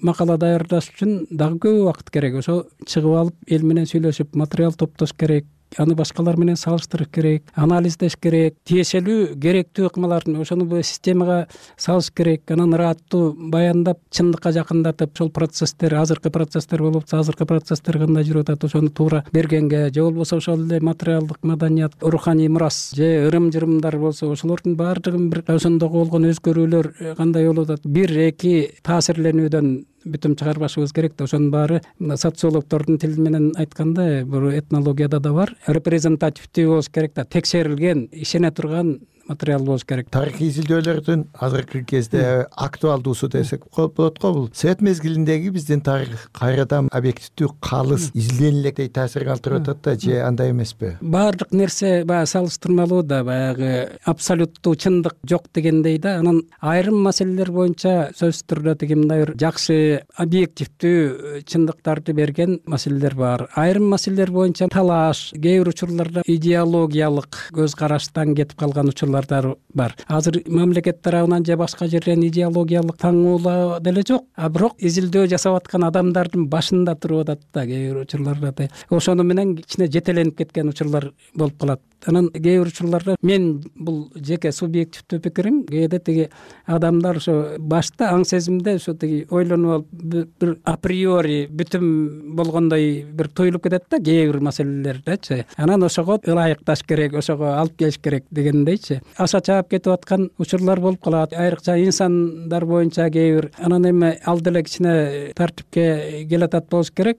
макала даярдаш үчүн дагы көп убакыт керек. Ошо чыгып алып, эл менен сүйлөшүп, материал топтош керек. Аны башкалар менен салыштырыш керек, анализдеш керек, тиешелүү, керектүү ыкмаларын ошону бул системага салыш керек. Анан ыраттуу баяндап, чындыкка жакындатып, ошол процесстер, азыркы процесстер болуп атса, азыркы процесстер кандай жүрүп атат, ошону туура бергенге, же болбосо ошол эле материалдык маданият, руханий мурас, же ырым-жырымдар болсо, ошолордун баардыгын бир ошондогу болгон өзгөрүүлөр кандай болуп атат, 1-2 таасирленүүдөн бүтүм чыгарбашыбыз керек да. Ошонун баары социологдордун тили менен айтканда, бул этнологияда да бар, репрезентативдүү болуш керек да, текшерилген, ишене турган материал болуш керек. Тарыхый изилдөөлөрдүн азыркы кезде актуалдуусу десек болот го. Бул совет мезгилиндеги биздин тарых кайрадан объективдүү калыс изилденилектей таасир калтырып атат да, же андай эмеспи? Баардык нерсе баягы салыштырмалуу да, баягы абсолюттуу чындык жок дегендей да. Анан айрым маселелер боюнча сөзсүз түрдө тиги мындай бир жакшы объективдүү чындыктарды берген маселелер бар. Айрым маселелер боюнча талаш, кээ бир учурларда идеологиялык көз караштан кетип калган учурлар бар. Азыр мамлекет тарабынан же башка жерден идеологиялык таңуулоо деле жок, а бирок изилдөө жасап аткан адамдардын башында туруп атат да кээ бир учурларда. Ошону менен кичине жетеленип кеткен учурлар болуп калат. Анан кээ бир учурларда мен бул жеке субъективдүү пикирим, кээде тиги адамдар ошо башта аң сезимде ошо тиги ойлонуп алып бир априори бүтүм болгондой бир туюлуп кетет да кээ бир маселелердечи. Анан ошого ылайыкташ керек, ошого алып келиш керек дегендейчи. Аша чаап кетип аткан учурлар болуп калат. Айрыкча инсандар боюнча кээ бир анан эми ал деле кичине тартипке келатат болуш керек.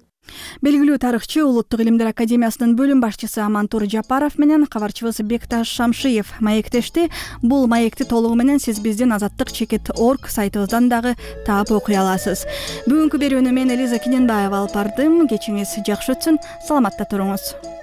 Белгилүү тарыхчы, Улуттук илимдер академиясынын бөлүм башчысы Амантур Жапаров менен кабарчыбыз Бекташ Шамшиев маектешти. Бул маекти толугу менен сиз биздин azatlyk.org сайтыбыздан дагы таап окуй аласыз. Бүгүнкү берүүнү мен Элиза Кененбаева алып бардым. Кечиңиз жакшы өтсүн. Саламатта туруңуз.